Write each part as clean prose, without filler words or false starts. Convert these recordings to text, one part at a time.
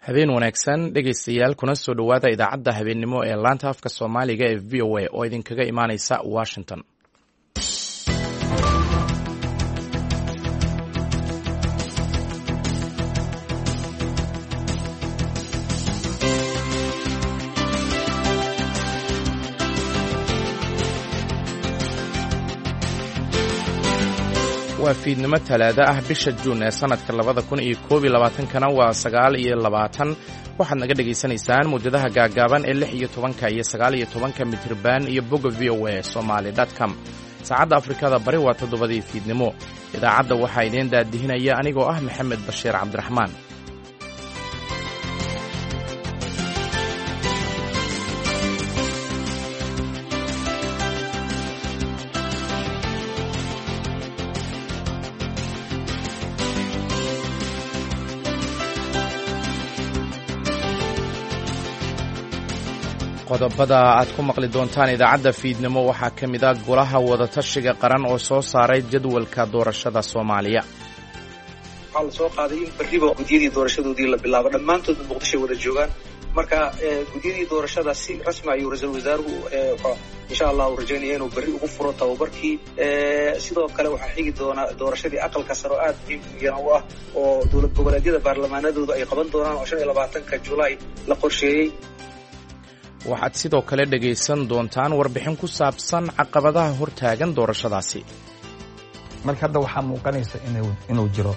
Habeen wanaagsan, dhegaystayaal, kuna soo dhowaada idaacadda habeennimo ee laanta afka Soomaaliga ee VOA oo idinkaga imaaneysa Washington. Waa fiidnimo Talaado ah, bisha Juun ee sanadka 2021-kana waa 29. Waxaad naga dhegaysanaysaan muwjadaha gaagaaban ee 16-ka iyo 19-ka mitriban iyo bogga VOA Somaly com. Saacadda Afrikada Bari waa 7-dii fiidnimo. Idaacadda waxaa idiin daadihinaya anigoo ah Maxamed Bashiir Cabdiraxmaan. Qodobada aad ku maqli doontaan idaacadda fiidnimo waxaa ka mid ah Golaha Wadatashiga Qaran oo soo saaray jadwalka doorashada Soomaaliya. Waxaa la soo qaaday in berriba gudyadii doorashadoodii la bilaabo, dhammaantoodna Muqdishoy wada joogaan. Marka gudyadii doorashada si rasmi ayuu ra-iisul wasaaruhu insha Allah uu rajaynaya inuu berri ugu furo tababarkii. Sidoo kale waxaa xigi doona doorashadii aqalka sare oo aada muhiim u ah oo dowlad goboleedyada baarlamaanadoodu ay qaban doonaan oo 25-ka Julaay la qorsheeyey. Waxaad sidoo kale dhegaysan doontaan warbixin ku saabsan caqabadaha hortaagan doorashadaasi. Marka hadda waxaa muuqanaysa inuu jiro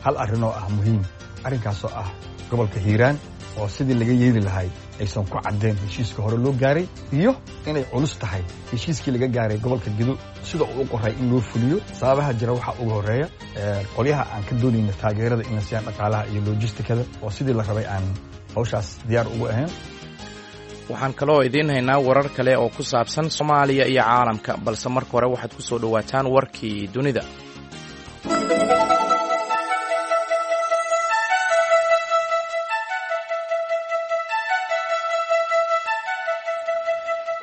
hal arrinoo ah muhiim, arrinkaasoo ah gobolka Hiiraan oo sidii laga yeeli lahay aysan ku caddeen heshiiska hore loo gaaray, iyo inay culus tahay heshiiskii laga gaaray gobolka Gedo sida uu u qoray in loo fuliyo. Sababaha jira waxaa uga horreeya qolyaha aan ka doonayna taageerada in la siiyaan dhaqaalaha iyo lojistikada oo sidii la rabay aan hawshaas diyaar ugu ahayn. Waxaan kaloo idiin haynaa warar kale oo ku saabsan Soomaaliya iyo caalamka, balse marka hore waxaad ku soo dhowaataan warkii dunida.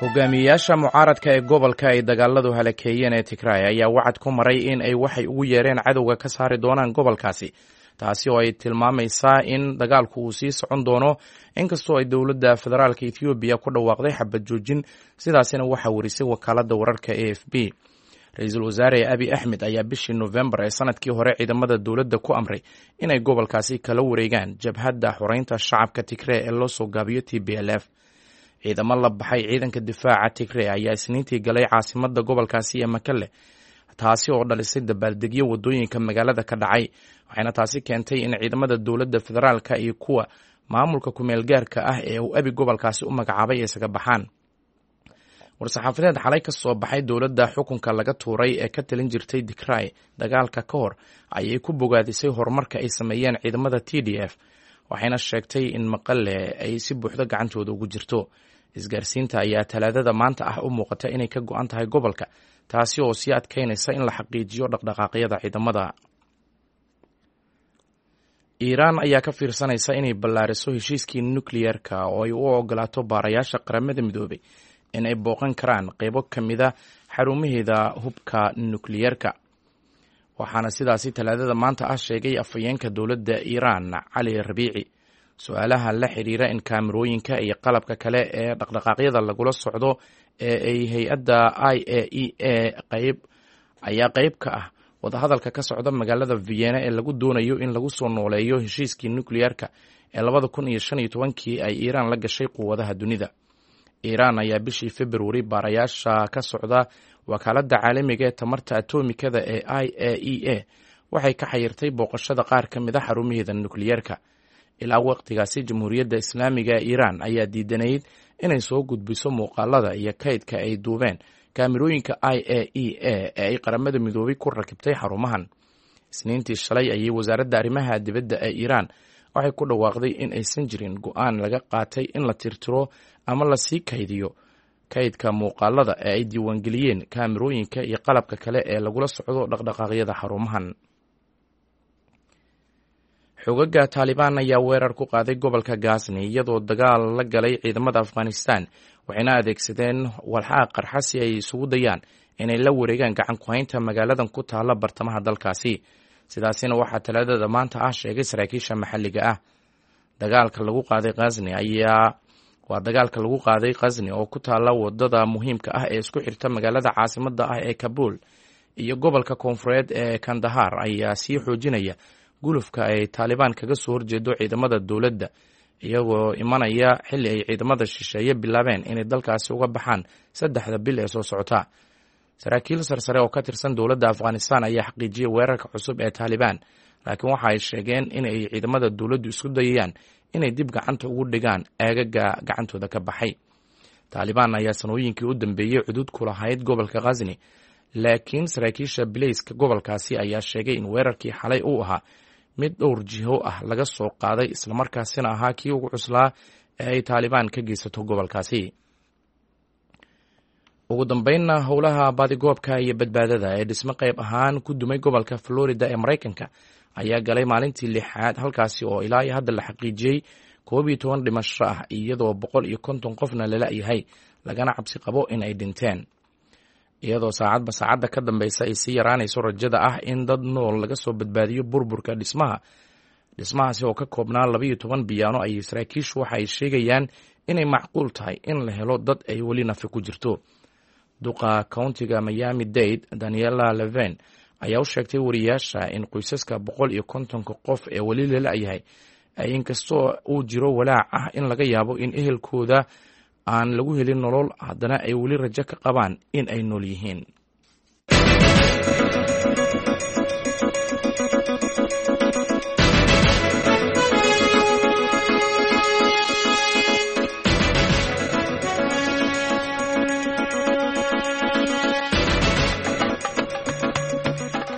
Hogaamiyeyaasha mucaaradka ee gobolka ay dagaaladu halakeeyeen ee Tigraay ayaa wacad ku maray in ay waxay ugu yeereen cadowga ka saari doonaan gobolkaasi, taasi oo ay tilmaamaysaa in dagaalku uu sii socon doono inkastoo ay dowladda federaalka Ethoobiya ku dhawaaqday xabad joojin. Sidaasina waxaa warisay wakaaladda wararka AFP. Ra-iisul wasaare Abi Axmed ayaa bishii Nofembar ee sanadkii hore ciidamada dowladda ku amray inay gobolkaasi kala wareegaan Jabhadda Xoreynta Shacabka Tigree ee loo soo gaabiyo TPLF. Ciidamo la baxay Ciidanka Difaaca Tigree ayaa Isniintii galay caasimadda gobolkaasi ee Makale, taasi oo dhalisay dabaaldegyo waddooyinka magaalada ka dhacay, waxayna taasi keentay in ciidamada dowladda federaalka iyo kuwa maamulka kumeel gaarka ah ee uu Abi gobolkaasi u magacaabay ay isaga baxaan. War-saxaafadeed xalay ka soo baxay dowladda xukunka laga tuuray ee ka talin jirtay Tigray dagaalka ka hor ayay ku bogaadisay horumarka ay sameeyeen ciidamada TDF, waxayna sheegtay in Maqale ay si buuxdo gacantooda ugu jirto. Isgaarsiinta ayaa Talaadada maanta ah u muuqata inay ka go-an tahay gobolka, taasi oo sii adkeynaysa in la xaqiijiyo dhaqdhaqaaqyada ciidamada. Iiraan ayaa ka fiirsanaysa inay ballaariso heshiiskii nukliyeerka oo ay u ogolaato baarayaasha Qaramada Midoobay in ay booqan karaan qeybo ka mida xarumaheeda hubka nukliyeerka, waxaana sidaasi Talaadada maanta ah sheegay afhayeenka dowladda Iiraan, Cali Rabiici. Su-aalaha la xiriira in kaamirooyinka iyo qalabka kale ee dhaqdhaqaaqyada lagula socdo ee ay hay-adda IAEA qayb ayaa qeyb ka ah wadahadalka ka socda magaalada Vienna ee lagu doonayo in lagu soo nooleeyo heshiiskii nukliyeerka ee 2015-kii ay Iiraan la gashay quwadaha dunida. Iiraan ayaa bishii Februari baarayaasha ka socda wakaaladda caalamiga ee tamarta atomikada ee IAEA waxay ka xayirtay booqashada qaar ka mid a xarumaheeda nukliyeerka. Ilaa waqtigaasi, Jamhuuriyadda Islaamiga ee Iiraan ayaa diidanayd inay soo gudbiso muuqaalada iyo kaydka ay duubeen kaamirooyinka IAEA ee ay Qaramada Midoobay ku rakibtay xarumahan. Isniintii shalay ayay wasaaradda arrimaha dibadda ee Iiraan waxay ku dhawaaqday in aysan jirin go-aan laga qaatay in la tirtiro ama lasii kaydiyo kaydka muuqaalada ee ay diiwaangeliyeen kaamirooyinka iyo qalabka kale ee lagula socdo dhaqdhaqaaqyada xarumahan. Xogaga Taalibaan ayaa weerar ku qaaday gobolka Gazni iyadoo dagaal la galay ciidamada Afghanistan, waxayna adeegsadeen walxaha qarxa si ay isugu dayaan inay la wareegaan gacan ku-haynta magaaladan ku taalla bartamaha dalkaasi. Sidaasina waxaa Talaadada maanta ah sheegay saraakiisha maxalliga ah. Dagaalka lagu qaaday Khasni ayaa waa dagaalka lagu qaaday Khasni oo ku taalla wadada muhiimka ah ee isku xirta magaalada caasimadda ah ee Kabuul iyo gobolka koonfureed ee Kandahar ayaa sii xoojinaya gulufka ay Taalibaan kaga soo horjeedo ciidamada dowladda, iyagoo imanaya xilli ay ciidamada shisheeye bilaabeen inay dalkaasi uga baxaan 3da bil ee soo socota. Saraakiil sarsare oo ka tirsan dowladda Afghanistan ayaa xaqiijiyey weerarka cusub ee Taalibaan, laakiin waxa ay sheegeen in ay ciidamada dowladdu isku dayayaan inay dib gacanta ugu dhigaan aagaga gacantooda ka baxay. Taalibaan ayaa sanooyinkii u dambeeyey cudud ku lahayd gobolka Khasni, laakiin saraakiisha bileyska gobolkaasi ayaa sheegay in weerarkii xalay uu ahaa mid dhowr jiho ah laga soo qaaday, islamarkaasina ahaa kii ugu cuslaa ee ay Taalibaan ka geysato gobolkaasi. Ugu dambeynna, howlaha baadigoobka iyo badbaadada ee dhismo qayb ahaan ku dumay gobolka Florida ee Maraykanka ayaa galay maalintii 6aad, halkaasi oo ilaa iyo hadda la xaqiijiyey 11 dhimasho ah, iyadoo 150 qofna lala-yahay, lagana cabsi qabo in ay dhinteen, iyadoo saacadba saacadda ka dambeysa ay sii yaraanayso rajada ah in dad nool laga soo badbaadiyo burburka dhismaha. Dhismahaasi oo ka koobnaa 12 biyaano ayay saraakiishu waxa ay sheegayaan inay macquul tahay in la helo dad ay weli nafi ku jirto. Duqa countiga Miami Dade, Daniela Leven, ayaa u sheegtay wariyaasha in qoysaska 150-ka qof ee weli lala-yahay ay inkastoo uu jiro walaac ah in laga yaabo in ehelkooda aan lagu helin nolol, haddana ay weli rajo ka qabaan in ay nool yihiin.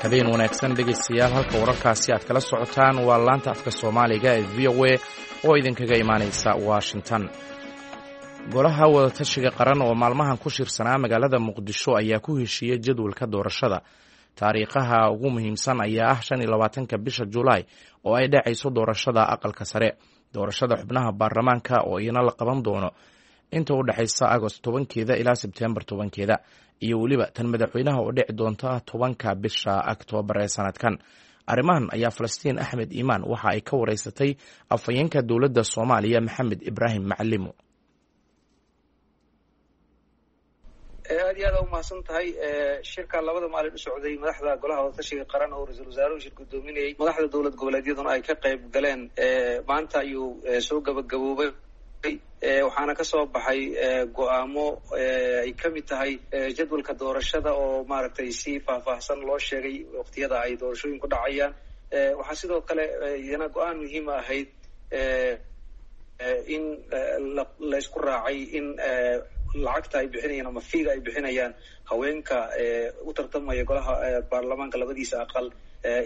Habeen wanaagsan dhegeystayaal, halka wararkaasi aad kala socotaan waa laanta afka Soomaaliga ee VOA oo idinkaga imaaneysa Washington. Golaha wadatashiga qaran oo maalmahan ku shirsanaa magaalada Muqdisho ayaa ku heshiiyey jadwalka doorashada. Taariikhaha ugu muhiimsan ayaa ah 25-ka bisha Julaay oo ay dhacayso doorashada aqalka sare, doorashada xubnaha baarlamaanka oo iyana la qaban doono inta u dhexaysa Agost 10-keeda ilaa Sebteembar 10-keeda, iyo weliba tan madaxweynaha oo dhici doonta 10-ka bisha Oktoobar ee sanadkan. Arrimahan ayaa Falastiin Axmed Iimaan waxa ay ka wareysatay afhayeenka dowladda Soomaaliya, Maxamed Ibraahim Macalimo. Aad iyo aad umahadsan tahay. Shirka labada maalin u socday madaxda golaha wadatashiga qaran oo ra-iisul wasaaruhu shir guddoominayay, madaxda dowlad goboleedyaduna ay ka qayb galeen, maanta ayuu soo gabagaboobay. Waxaana kasoo baxay go-aamo ay ka mid tahay jadwalka doorashada oo maaragtay si faahfaahsan loo sheegay waqtiyada ay doorashooyinku dhacayaan. Waxaa sidoo kale iyana go-aan muhiima ahayd in laysku raacay in lacagta ay bixinayaan ama fiiga ay bixinayaan haweenka u tartamaya golaha baarlamaanka labadiisa aqal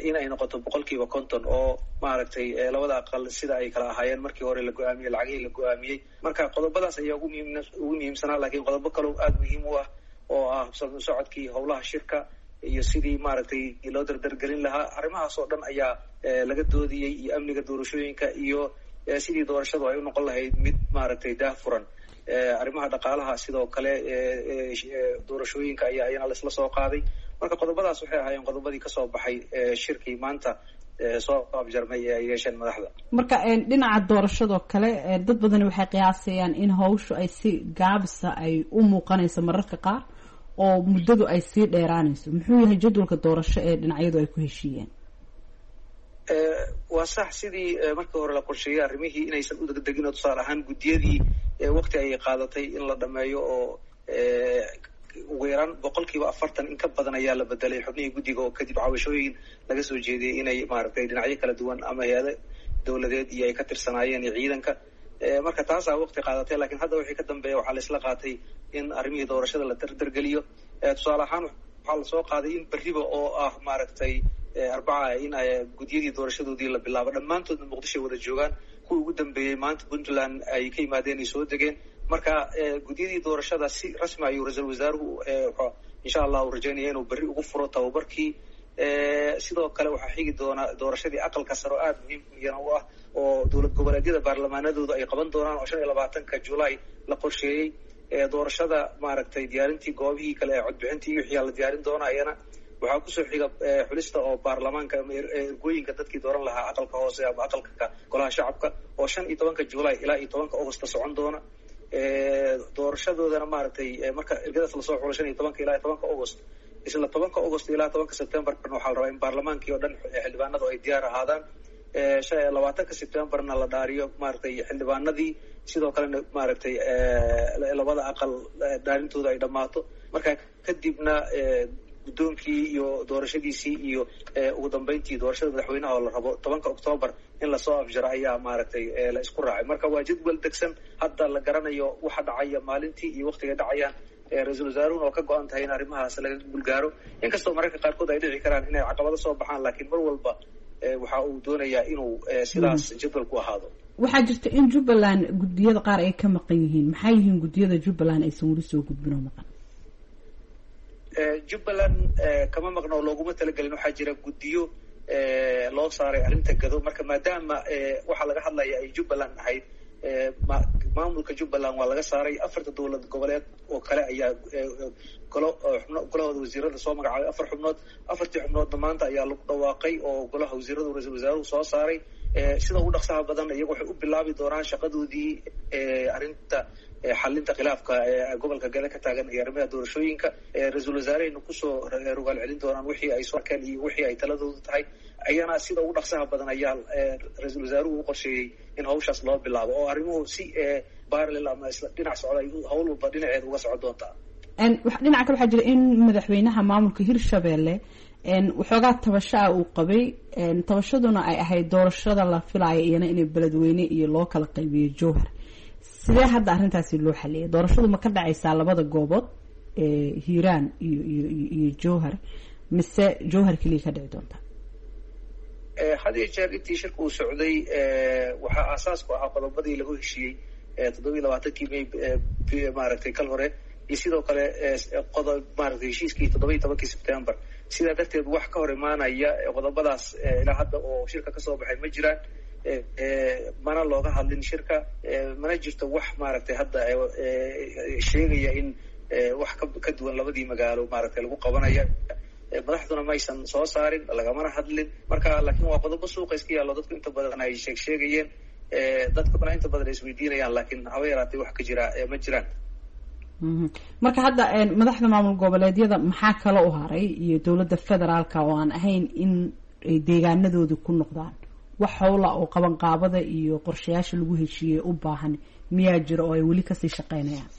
in ay noqoto 50% oo maaragtay labada aqal sida ay kala ahaayeen markii hore la go-aamiyey lacagihii la go-aamiyey. Marka qodobadaas ayaa ugu muhiimsanaa, lakiin qodobo kaleo aada muhiim u ah oo ah socodkii howlaha shirka iyo sidii maaragtay loo dardargelin lahaa, arrimahaas oo dhan ayaa laga doodiyey, iyo amniga doorashooyinka iyo sidii doorashadu ay u noqon lahayd mid maaragtay daah furan. Arrimaha dhaqaalaha sidoo kale doorashooyinka ayaa iyana laisla soo qaaday. Marka qodobadaas waxay ahaayeen qodobadii kasoo baxay shirkii maanta soo afjarmay ee ay yeesheen madaxda. Marka dhinaca doorashadoo kale, dad badani waxay qiyaasayaan in hawshu ay si gaabisa ay u muuqanayso mararka qaar oo muddadu ay sii dheeraanayso. Muxuu yahay jadwalka doorasho ee dhinacyadu ay ku heshiiyeen? Waa sax, sidii markii hore la qorsheeyey arrimihii inaysan u degdegin oo tusaale ahaan guddiyadii waqti ayay qaadatay in la dhameeyo oo ugu yaraan 40% in ka badan ayaa la bedelay xubnihii guddiga, oo kadib cabashooyin laga soo jeediyey inay maaragtay dhinacyo kala duwan ama hay-ado dowladeed iyo ay ka tirsanaayeen iyo ciidanka. Marka taasaa waqti qaadatay, lakiin hadda wixii ka dambeeya waxaa laisla qaatay in arrimihii doorashada la dardargeliyo. Tusaale ahaan waxaa lasoo qaaday in berriba oo ah maaragtay Arbaca in guddiyadii doorashadoodii la bilaabo, dhammaantoodna Muqdishoay wada joogaan. Kuwii ugu dambeeyey maanta Puntland ay ka yimaadeen ay soo degeen. Marka guddiyadii doorashada si rasmi ayuu ra-iisul wasaaruhu insha allah uu rajaynaya inuu berri ugu furo tababarkii. Sidoo kale waxaa xigi doona doorashadii aqalka sare oo aada muhiim iyana u ah oo dowlad goboleedyada baarlamaanadooda ay qaban doonaan oo 25-ka Julaay la qorsheeyey. Doorashada maaragtay diyaarintii goobihii kale ee codbixintii iyo wixii la diyaarin doona iyana. Waxaa kusoo xiga xulista oo baarlamaanka ama ergooyinka dadkii dooran lahaa aqalka hoose ama aqalka golaha shacabka oo 15-ka July ilaa iyo 10-ka Augusta socon doona. Doorashadoodana maaragtay marka ergadaas lasoo xulo 15-ka ilaa 10-ka August, isla 10-ka August ilaa 10-ka Septemberna waxaa la rabaa in baarlamaankii oo dhan xildhibaanadu ay diyaar ahaadaan. 20-ka Septemberna la dhaariyo maaragtay xildhibaanadii, sidoo kalena maaragtay labada aqal dhaarintooda ay dhammaato. Marka kadibna guddoonkii iyo doorashadiisii iyo ugu dambeyntii doorashada madaxweynaha oo la rabo 10-ka Octoobar in lasoo afjaro ayaa maaragtay la isku raacay. Marka waa jadwal degsan, hadda la garanayo waxa dhacaya maalintii iyo waktigay dhacayaan. Ra-iisul wasaaruhuna oo ka go-an tahay in arrimahaas laga guulgaaro, inkastoo mararka qaarkood ay dhici karaan inay caqabado soo baxaan, laakiin mar walba waxa uu doonayaa inuu sidaas jadwalku ahaado. Waxaa jirta in Jubbaland guddiyada qaar ay ka maqan yihiin. Maxay yihiin guddiyada Jubbaland aysan weli soo gudbin oo maqan? Jubbaland kama maqno oo looguma talagelin. Waxaa jira guddiyo loo saaray arrinta gado. Marka maadaama waxaa laga hadlaya ay Jubbaland ahayd, maamulka Jubbaland waa laga saaray. Afarta dowlad goboleed oo kale ayaa golo xubno golahooda wasiirada soo magacaabay afar xubnood. Afartii xubnoodna maanta ayaa lagu dhawaaqay oo golaha wasiiradu ra-iisul wasaaruhu soo saaray. Sida ugu dhaqsaha badan iyagu waxay u bilaabi doonaan shaqadoodii arrinta xalinta khilaafka gobolka gale ka taagan iyo arrimaha doorashooyinka. Ra-iisul wasaarehayna kusoo rogaal celin doonaan wixii ay soo arkeen iyo wixii ay taladoodu tahay. Ayana sida ugu dhaqsaha badan ayaa ra-iisul wasaaruhu u qorsheeyey in hawshaas loo bilaabo oo arrimuhu si parallel ama isla dhinac socda ay hawl walba dhinaceeda uga socon doontaa. Dhinaca kale waxaa jira in madaxweynaha maamulka Hirshabelle waxoogaa tabasho ah uu qabay, tabashaduna ay ahayd doorashada la filaayo iyana inay Beledweyne iyo loo kala qaybiyo Jowhar. Sidee hadda arrintaasi loo xaliyay? Doorashadu ma ka dhacaysaa labada goobood, Hiiraan iyo iyo iyo Jowhar, mise Jowhar keliya ka dhici doonta? Had iyo jeer intii shirka uu socday waxaa aasaasku ahaa qodobadii lagu heshiiyey 27-kii May maaragtay kal hore, iyo sidoo kale qodob maaragtay heshiiskii 17-kii September. Sidaa darteed wax ka hor imaanaya qodobadaas ilaa hadda oo shirka kasoo baxay ma jiraan, mana looga hadlin shirka, mana jirto wax maaragtay hadda sheegaya in wax ka duwan labadii magaalo maaragtay lagu qabanaya. Madaxduna maysan soo saarin, lagamana hadlin. Marka laakiin waa qodobo suuqa iska yaallo, dadku inta badan ay sheeg sheegayeen, dadkuna inta badan ay isweydiinayaan, laakiin haba yaraatay wax ka jira ma jiraan. Marka hadda madaxda maamul goboleedyada maxaa kale u haray iyo dowladda federaalka oo aan ahayn in ay deegaanadooda ku noqdaan? Wax howla oo qabanqaabada iyo qorshayaasha lagu heshiiyey u baahan miyaa jira oo ay weli kasii shaqeynayaan?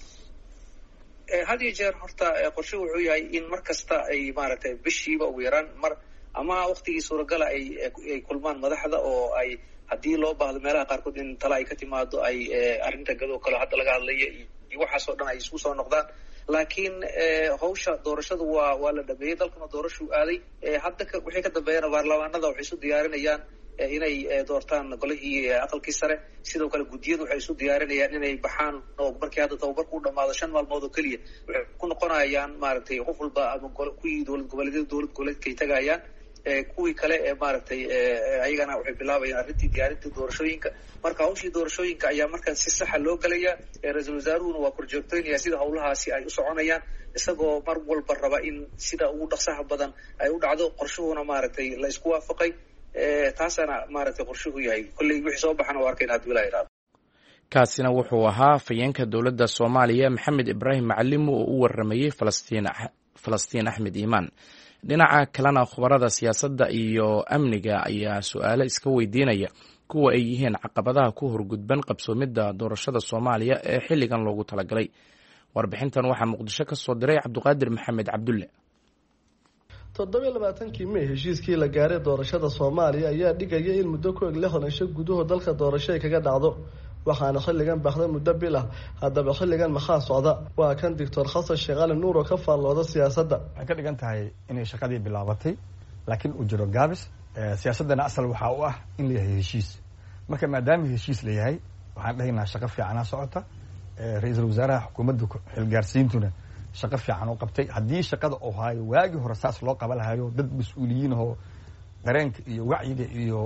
Had iyo jeer horta qorshuhu wuxuu yahay in mar kasta ay maaragtay bishiiba ugu yaraan mar ama waktigii suuragala ay kulmaan madaxda, oo ay haddii loo baahdo meelaha qaarkood in tala ay ka timaado, ay arrinta gadoo kale hadda laga hadlaya iyo waxaasoo dhan ay isku soo noqdaan. Laakiin hawsha doorashadu waa la dhameeyey, dalkuna doorashuu aaday. Hadda wixii ka dambeeyana baarlamaanada waxay isu diyaarinayaan inay doortaan golihii aqalkii sare. Sidoo kale guddiyadu waxay isu diyaarinayaan inay baxaan, oo markii hadda tababarku u dhamaado 5 maalmood oo keliya waxay ku noqonayaan maaragtay qof walba ama kuwii dowlad goboleedyada dowlad goboleedkay tagayaan, kuwii kale ee maaragtay ayagana waxay bilaabayaan arrintii diyaarintii doorashooyinka. Marka hawshii doorashooyinka ayaa markaan si saxa loo gelaya. Ra-iisul wasaaruhuna waa korjoogtoynaya sida hawlahaasi ay u soconayaan, isagoo mar walba raba in sida ugu dhaqsaha badan ay u dhacdo. Qorshuhuna maaragtay la isku waafaqay, taasaana maaragtay qorshuhu yahay. Kolley wixii soo baxana waa arkayna haddii ilaa iraado. Kaasina wuxuu ahaa afhayeenka dowladda Soomaaliya Maxamed Ibraahim Macalimu oo u waramayey Falastiin Axmed Iimaan. Dhinaca kalena khubarada siyaasadda iyo amniga ayaa su-aalo iska weydiinaya kuwa ay yihiin caqabadaha ku horgudban qabsoomidda doorashada Soomaaliya ee xilligan loogu talagalay. Warbixintan waxaa Muqdisho ka soo diray Cabduqaadir Maxamed Cabdulle. 27-kii May heshiiskii la gaaray doorashada Soomaaliya ayaa dhigaya in muddo ku eg 60 cisho gudahood dalka doorasho ay kaga dhacdo, waxaana xilligan baxday muddo bil ah. Haddaba xilligan maxaa socda? Waa kan Doctor Xasan Sheekh Cali Nuur oo ka faallooda siyaasadda. Waxay ka dhigan tahay inay shaqadii bilaabatay, laakiin uu jiro gaabis. Siyaasaddana asal waxaa u ah in la yahay heshiis. Marka maadaama heshiis la yahay, waxaan dhahaynaa shaqo fiicanaa socota. Ra-iisul wasaaraha xukuumadda xilgaarsiintuna shaqo fiican u qabtay. Haddii shaqada uu haayo waagii hore saas loo qaba lahayo, dad mas-uuliyiin ahoo dareenka iyo wacyiga iyo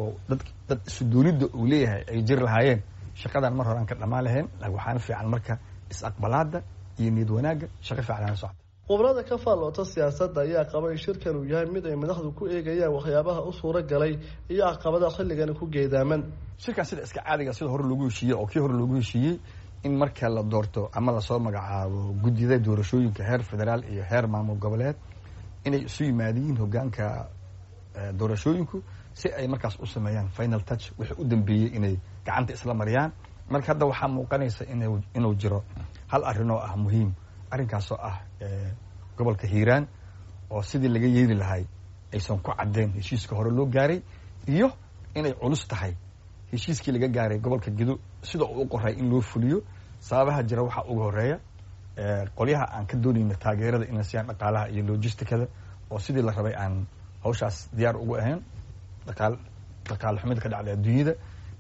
dad isudoonidda uu leeyahay ay jiri lahaayeen, shaqadan mar hore aan ka dhammaan lahayn. Laakiin waxaana fiican marka is-aqbalaada iyo niyad wanaagga shaqo fiican ana socota. Khubrada ka faalloota siyaasadda ayaa qaba in shirkan uu yahay mid ay madaxdu ku eegayaan waxyaabaha u suura galay iyo caqabadaha xilligani ku geedaaman. Shirkan sida iska caadiga, sida hore loogu heshiiyey oo kii hore loogu heshiiyey, in marka la doorto ama lasoo magacaabo guddida doorashooyinka heer federaal iyo heer maamul goboleed, inay isu yimaadiyiin hogaanka doorashooyinku si ay markaas u sameeyaan final touch, wixii u dambeeyey inay gacanta isla mariyaan. Marka hadda waxaa muuqanaysa inuu jiro hal arrin oo ah muhiim, arrinkaasoo ah gobolka Hiiraan oo sidii laga yeeli lahay aysan ku caddeyn heshiiska hore loo gaaray, iyo inay culus tahay heshiiskii laga gaaray gobolka Gedo sida uu u qoray in loo fuliyo. Sababaha jira waxaa uga horeeya qolyaha aan ka doonayna taageerada in la siiyaan dhaqaalaha iyo logisticada oo sidii la rabay aan hawshaas diyaar ugu ahayn, dhaqaale xumida ka dhacday adduunyada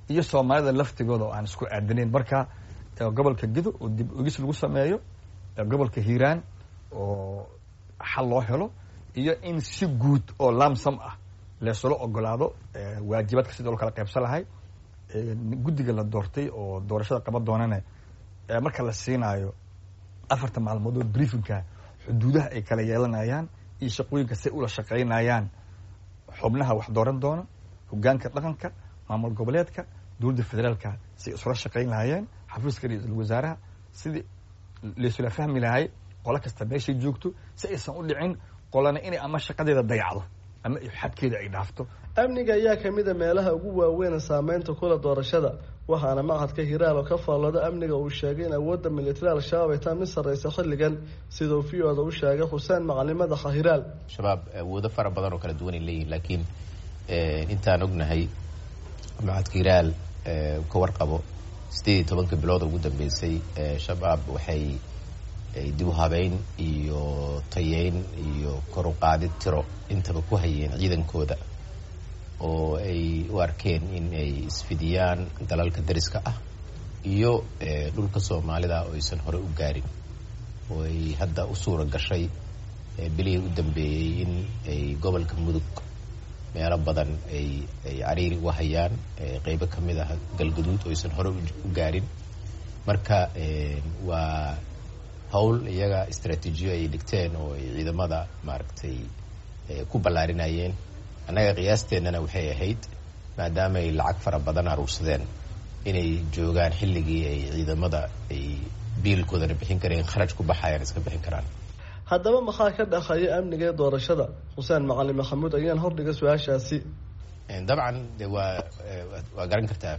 iyo Soomaalida laftigooda oo aan isku aadanayn. Marka gobolka Gedo oo dib ogis lagu sameeyo, gobolka Hiiraan oo xal loo helo, iyo in si guud oo lamsam ah leesula ogolaado waajibaadka sida loo kala qaybsan lahay. Guddiga la doortay oo doorashada qaban doonana, marka la siinaayo 4ta maalmood oo briefingka, xuduudaha ay kala yeelanayaan iyo shaqooyinka say ula shaqaynayaan xubnaha wax dooran doona, hogaanka dhaqanka, maamul goboleedka, dowladda federaalka, say isula shaqayn lahaayeen, xafiiska ra-iisul wasaaraha, sidii laysula fahmi lahay qolo kasta meeshay joogto, si aysan u dhicin qolana inay ama shaqadeeda dayacdo ama xadkeeda ay dhaafto. Amniga ayaa kamid a meelaha ugu waaweyn saameynta kula doorashada, waxaana machadka Hiraal oo ka faallooda amniga uu sheegay in awoodda militari Al-Shabaab ay taa mid sarreysa xilligan, siduu v o da u sheegay Xuseen Macalin, madaxa Hiraal. Shabaab awoodo fara badan oo kala duwan ay leeyihin, laakiin intaan ognahay, machadka Hiraal ka warqabo, 18-ka bilood ugu dambeysay Shabaab waxay dib u habeyn iyo tayeyn iyo kor u qaadid tiro intaba ku hayeen ciidankooda, oo ay u arkeen in ay isfidiyaan dalalka dariska ah iyo dhulka Soomaalida oo aysan hore u gaarin, oo ay hadda u suura gashay bilihii u dambeeyey in ay gobolka Mudug meelo badan ay cariiri uga hayaan, qeybo ka mid ah Galgaduud oo aysan hore u gaarin. Marka waa hawl iyaga istraatiijiyo ay dhigteen oo ay ciidamada maaragtay ku ballaarinayeen. Annaga qiyaasteennana waxay ahayd, maadaama ay lacag fara badan aruursadeen, inay joogaan xilligii ay ciidamada ay biilkoodana bixin kareen, kharaj ku baxayaan iska bixin karaan. Haddaba maxaa ka dhexeeya amniga ee doorashada? Xuseen Macalin Maxamuud ayaan hordhiga su-aashaasi. Dabcan de waa garan kartaa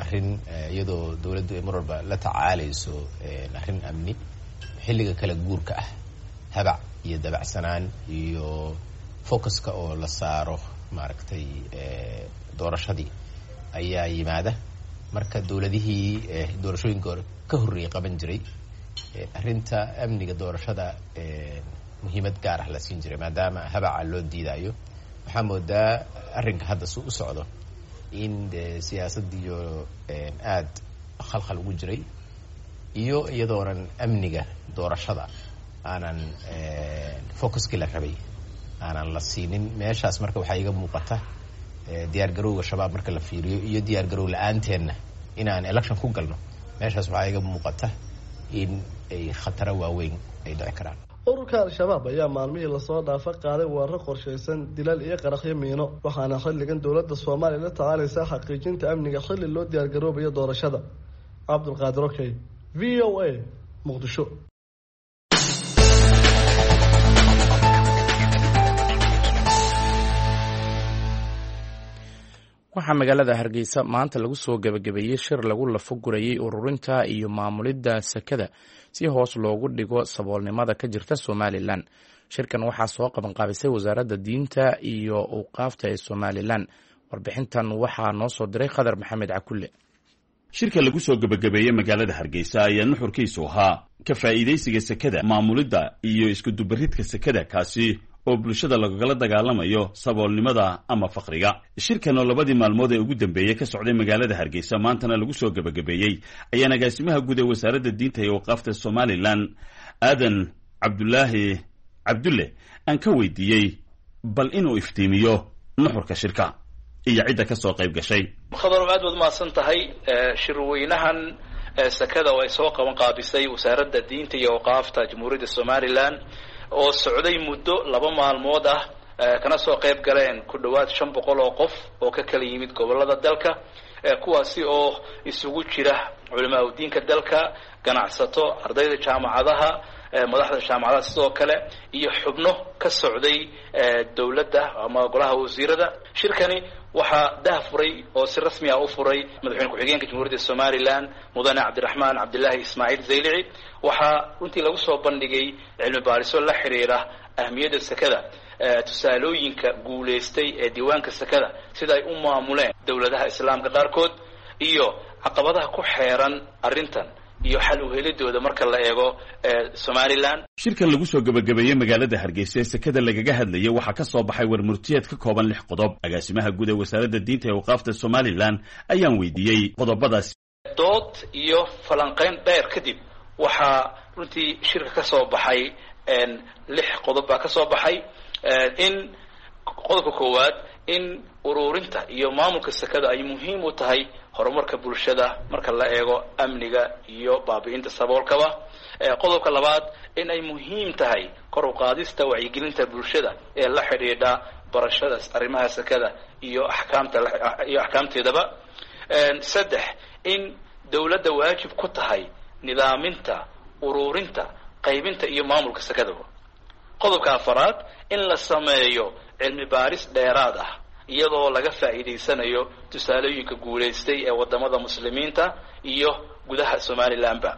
arrin iyadoo dowladdu ay mar walba la tacaalayso arrin amni, xilliga kala guurka ah habac iyo dabacsanaan iyo focuska oo la saaro maaragtay doorashadii ayaa yimaada. Marka dowladihii doorashooyinka hore ka horreeyay qaban jiray, arrinta amniga doorashada muhiimad gaar ah la siin jiray, maadaama habaca loo diidayo. Waxaa moodaa arrinka hadda si u socdo in de siyaasadiyo aada khalkhal ugu jiray, iyo iyadoonan amniga doorashada aanan focuskii la rabay aanan la siinin meeshaas. Marka waxaa iga muuqata diyaar garowga Shabaab marka la fiiriyo iyo diyaar garow la-aanteenna inaan election ku galno, meeshaas waxaa iga muuqata in ay khataro waaweyn ay dhici karaan. Ururka Al-Shabaab ayaa maalmihii lasoo dhaafa qaaday weeraro qorshaysan, dilal iyo qaraxyo miino, waxaana xilligan dowladda Soomaaliya la tacaalaysaa xaqiijinta amniga xilli loo diyaargaroobayo doorashada. Cabdulqaadir Okey, VOA, Muqdisho. Waxaa magaalada Hargeysa maanta lagu soo gebagabeeyey shir lagu lafo gurayey ururinta iyo maamulidda sakada si hoos loogu dhigo saboolnimada ka jirta Somalilan. Shirkan waxaa soo qabanqaabisay Wasaaradda Diinta iyo Awqaafta ee Somalilan. Warbixintan waxaa noo soo diray Khadar Maxamed Cakulle. Shirka lagu soo gebagabeeyey magaalada Hargeysa ayaa nuxurkiisu ahaa ka faa'iidaysiga sekada, maamulidda iyo iskudubaridka sekada, kaasi oo bulshada lagagala dagaalamayo saboolnimada ama faqriga. Shirkan oo labadii maalmood ee ugu dambeeyey ka socday magaalada Hargeysa, maantana lagu soo gebagabeeyey, ayaa agaasimaha guud ee Wasaaradda Diinta iyo Waqaafta Somalilan, Aadan Cabdulaahi Cabdulle, aan ka weydiiyey bal inuu iftiimiyo nuxurka shirka iyo cidda ka soo qayb gashay. Khadarow, aad baad umahadsan tahay. Shirweynahan sakada oo ay soo qaban qaabisay Wasaaradda Diinta iyo Awqaafta Jamhuuriyadda Somalilan oo socday muddo 2 maalmood ah, kana soo qayb galeen ku dhowaad 500 oo qof oo ka kala yimid gobolada dalka, kuwaasi oo isugu jira culimaa udiinka dalka, ganacsato, ardayda jaamacadaha, madaxda jaamacadaha sidoo kale, iyo xubno ka socday dowladda ama golaha wasiirada. Shirkani waxaa dah furay oo si rasmi ah u furay madaxweyne ku-xigeenka Jamhuuriyadda Somaliland, Mudane Cabdiraxmaan Cabdilaahi Ismaaciil Zaylici. Waxaa runtii lagu soo bandhigay cilmi baariso la xiriira ahmiyadda sekada, tusaalooyinka guulaystay ee diiwaanka sekada, sida ay u maamuleen dowladaha islaamka qaarkood, iyo caqabadaha ku xeeran arrintan iyo xal uhelidooda marka la eego Somaliland. Shirkan lagu soo gebagabeeyey magaalada Hargeysa ee sekada lagaga hadlayay waxaa ka soo baxay warmurtiyeed ka kooban 6 qodob. Agaasimaha guud ee wasaaradda diinta ee awqaafta Somaliland ayaan weydiiyey qodobadaas. Dood iyo falanqeyn dheer kadib waxaa runtii shirka ka soo baxay 6 qodob baa ka soo baxay. In qodobka koowaad, in ururinta iyo maamulka sekada ay muhiim u tahay horumarka bulshada marka la eego amniga iyo baabi'inta saboolkaba. Qodobka labaad, in ay muhiim tahay kor u qaadista wacyigelinta bulshada ee la xidhiidha barashada arrimaha sekada iyo axkaamta iyo axkaamteedaba. 3, in dowladda waajib ku tahay nidaaminta, ururinta, qaybinta iyo maamulka sekadaba. Qodobka afaraad, in la sameeyo cilmi baaris dheeraad ah iyadoo laga faa'iidaysanayo tusaalooyinka guulaystay ee wadamada muslimiinta iyo gudaha Somalilandba.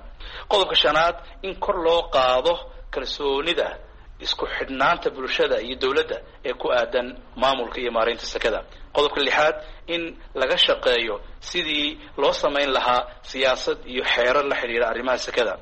Qodobka shanaad, in kor loo qaado kalsoonida isku xidhnaanta bulshada iyo dowladda ee ku aadan maamulka iyo maareynta sekada. Qodobka lixaad, in laga shaqeeyo sidii loo samayn lahaa siyaasad iyo xeerar la xidhiira arrimaha sekada.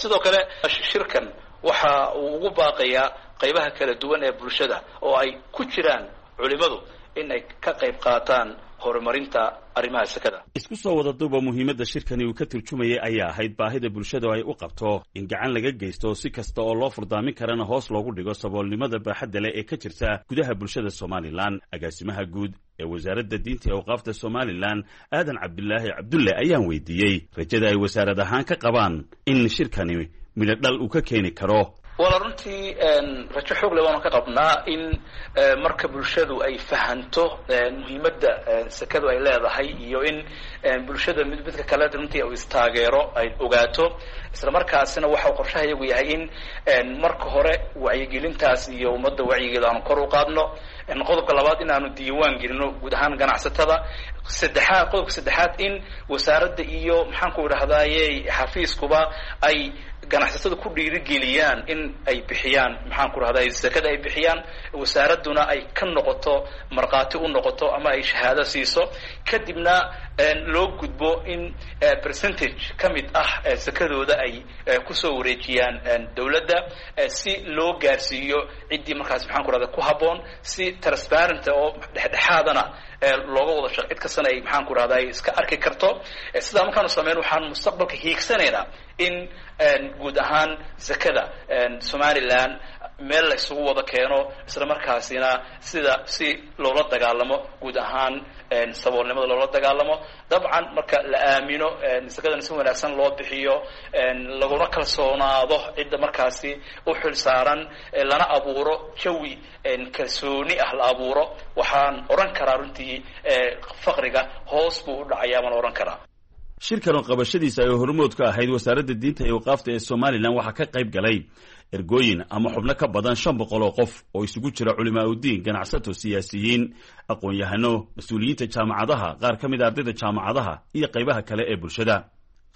Sidoo kale shirkan waxa uu ugu baaqayaa qaybaha kala duwan ee bulshada oo ay ku jiraan culimadu in ay ka qayb qaataan horumarinta arrimaha sekada. Isku soo wada duuba, muhiimadda shirkani uu ka turjumayay ayaa ahayd baahida bulshada ay u qabto in gacan laga geysto si kasta oo loo furdaamin karana hoos loogu dhigo saboolnimada baaxadda leh ee ka jirta gudaha bulshada Somalilan. Agaasimaha guud ee wasaaradda diinta ee awqaafta Somalilan, Aadan Cabdilaahi Cabdulle, ayaan weydiiyey rajada ay wasaarad ahaan ka qabaan in shirkani midho dhal uu ka keeni karo. Wala runtii rajo xoog le waanu ka qabnaa in marka bulshadu ay fahanto muhiimadda sekadu ay leedahay, iyo in bulshada mid midka kale runtii u istaageero ay ogaato, isla markaasina waxa uu qorshaha iyagu yahay in marka hore wacyigelintaas iyo ummadda wacyigeeda aanu kor u qaadno. Qodobka labaad, in aanu diiwaan gelino guud ahaan ganacsatada. Saddexaad, qodobka saddexaad, in wasaaradda iyo maxaan ku idhahdaaye xafiiskuba ay ganacsatada ku dhiirigeliyaan in ay bixiyaan maxaan ku rahday sekada ay bixiyaan, wasaaradduna ay ka noqoto markhaati u noqoto ama ay shahaado siiso, kadibna loo gudbo in percentage ka mid ah sekadooda ay kusoo wareejiyaan dowladda si loo gaarsiiyo ciddii markaas maxaan ku rahday ku habboon, si transparent oo dhexdhexaadana looga wada shaq, cid kastana ay maxaan ku rahday iska arki karto. Sidaa markaanu sameyn waxaan mustaqbalka hiigsanaynaa in guud ahaan zakada Somaliland meel la isugu wada keeno, isla markaasina sida si loola dagaalamo guud ahaan saboolnimada loola dagaalamo. Dabcan marka la aamino sakadana si wanaagsan loo bixiyo, laguna kalsoonaado cidda markaasi u xil saaran, lana abuuro jawi kalsooni ah la abuuro, waxaan odhan karaa runtii faqriga hoos buu u dhacayaa baan odhan karaa. Shirkan oo qabashadiisa ay hormood ka ahayd wasaaradda diinta iyo awqaafta ee Somalilan waxaa ka qayb galay ergooyin ama xubno ka badan 500 oo qof oo isugu jira culimaa udiin, ganacsato, siyaasiyiin, aqoon-yahano, mas-uuliyiinta jaamacadaha, qaar ka mid a ardayda jaamacadaha iyo qaybaha kale ee bulshada.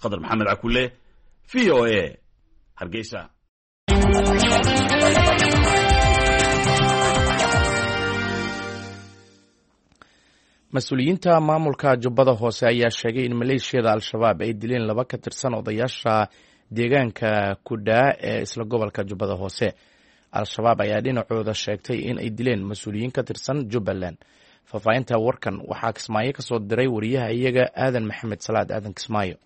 Khadar Maxamed Cakule, V O A, Hargeysa. Mas-uuliyiinta maamulka Jubbada Hoose ayaa sheegay in maleeshiyada Al-Shabaab ay dileen 2 ka tirsan odayaasha deegaanka Kudhaa ee isla gobolka Jubbada Hoose. Al-Shabaab ayaa dhinacooda sheegtay in ay dileen mas-uuliyiin ka tirsan Jubbaland. Faahfaahinta warkan waxaa Kismaayo ka soo diray wariyaha iyaga Aadan Maxamed Salaad, Aadan Kismaayo.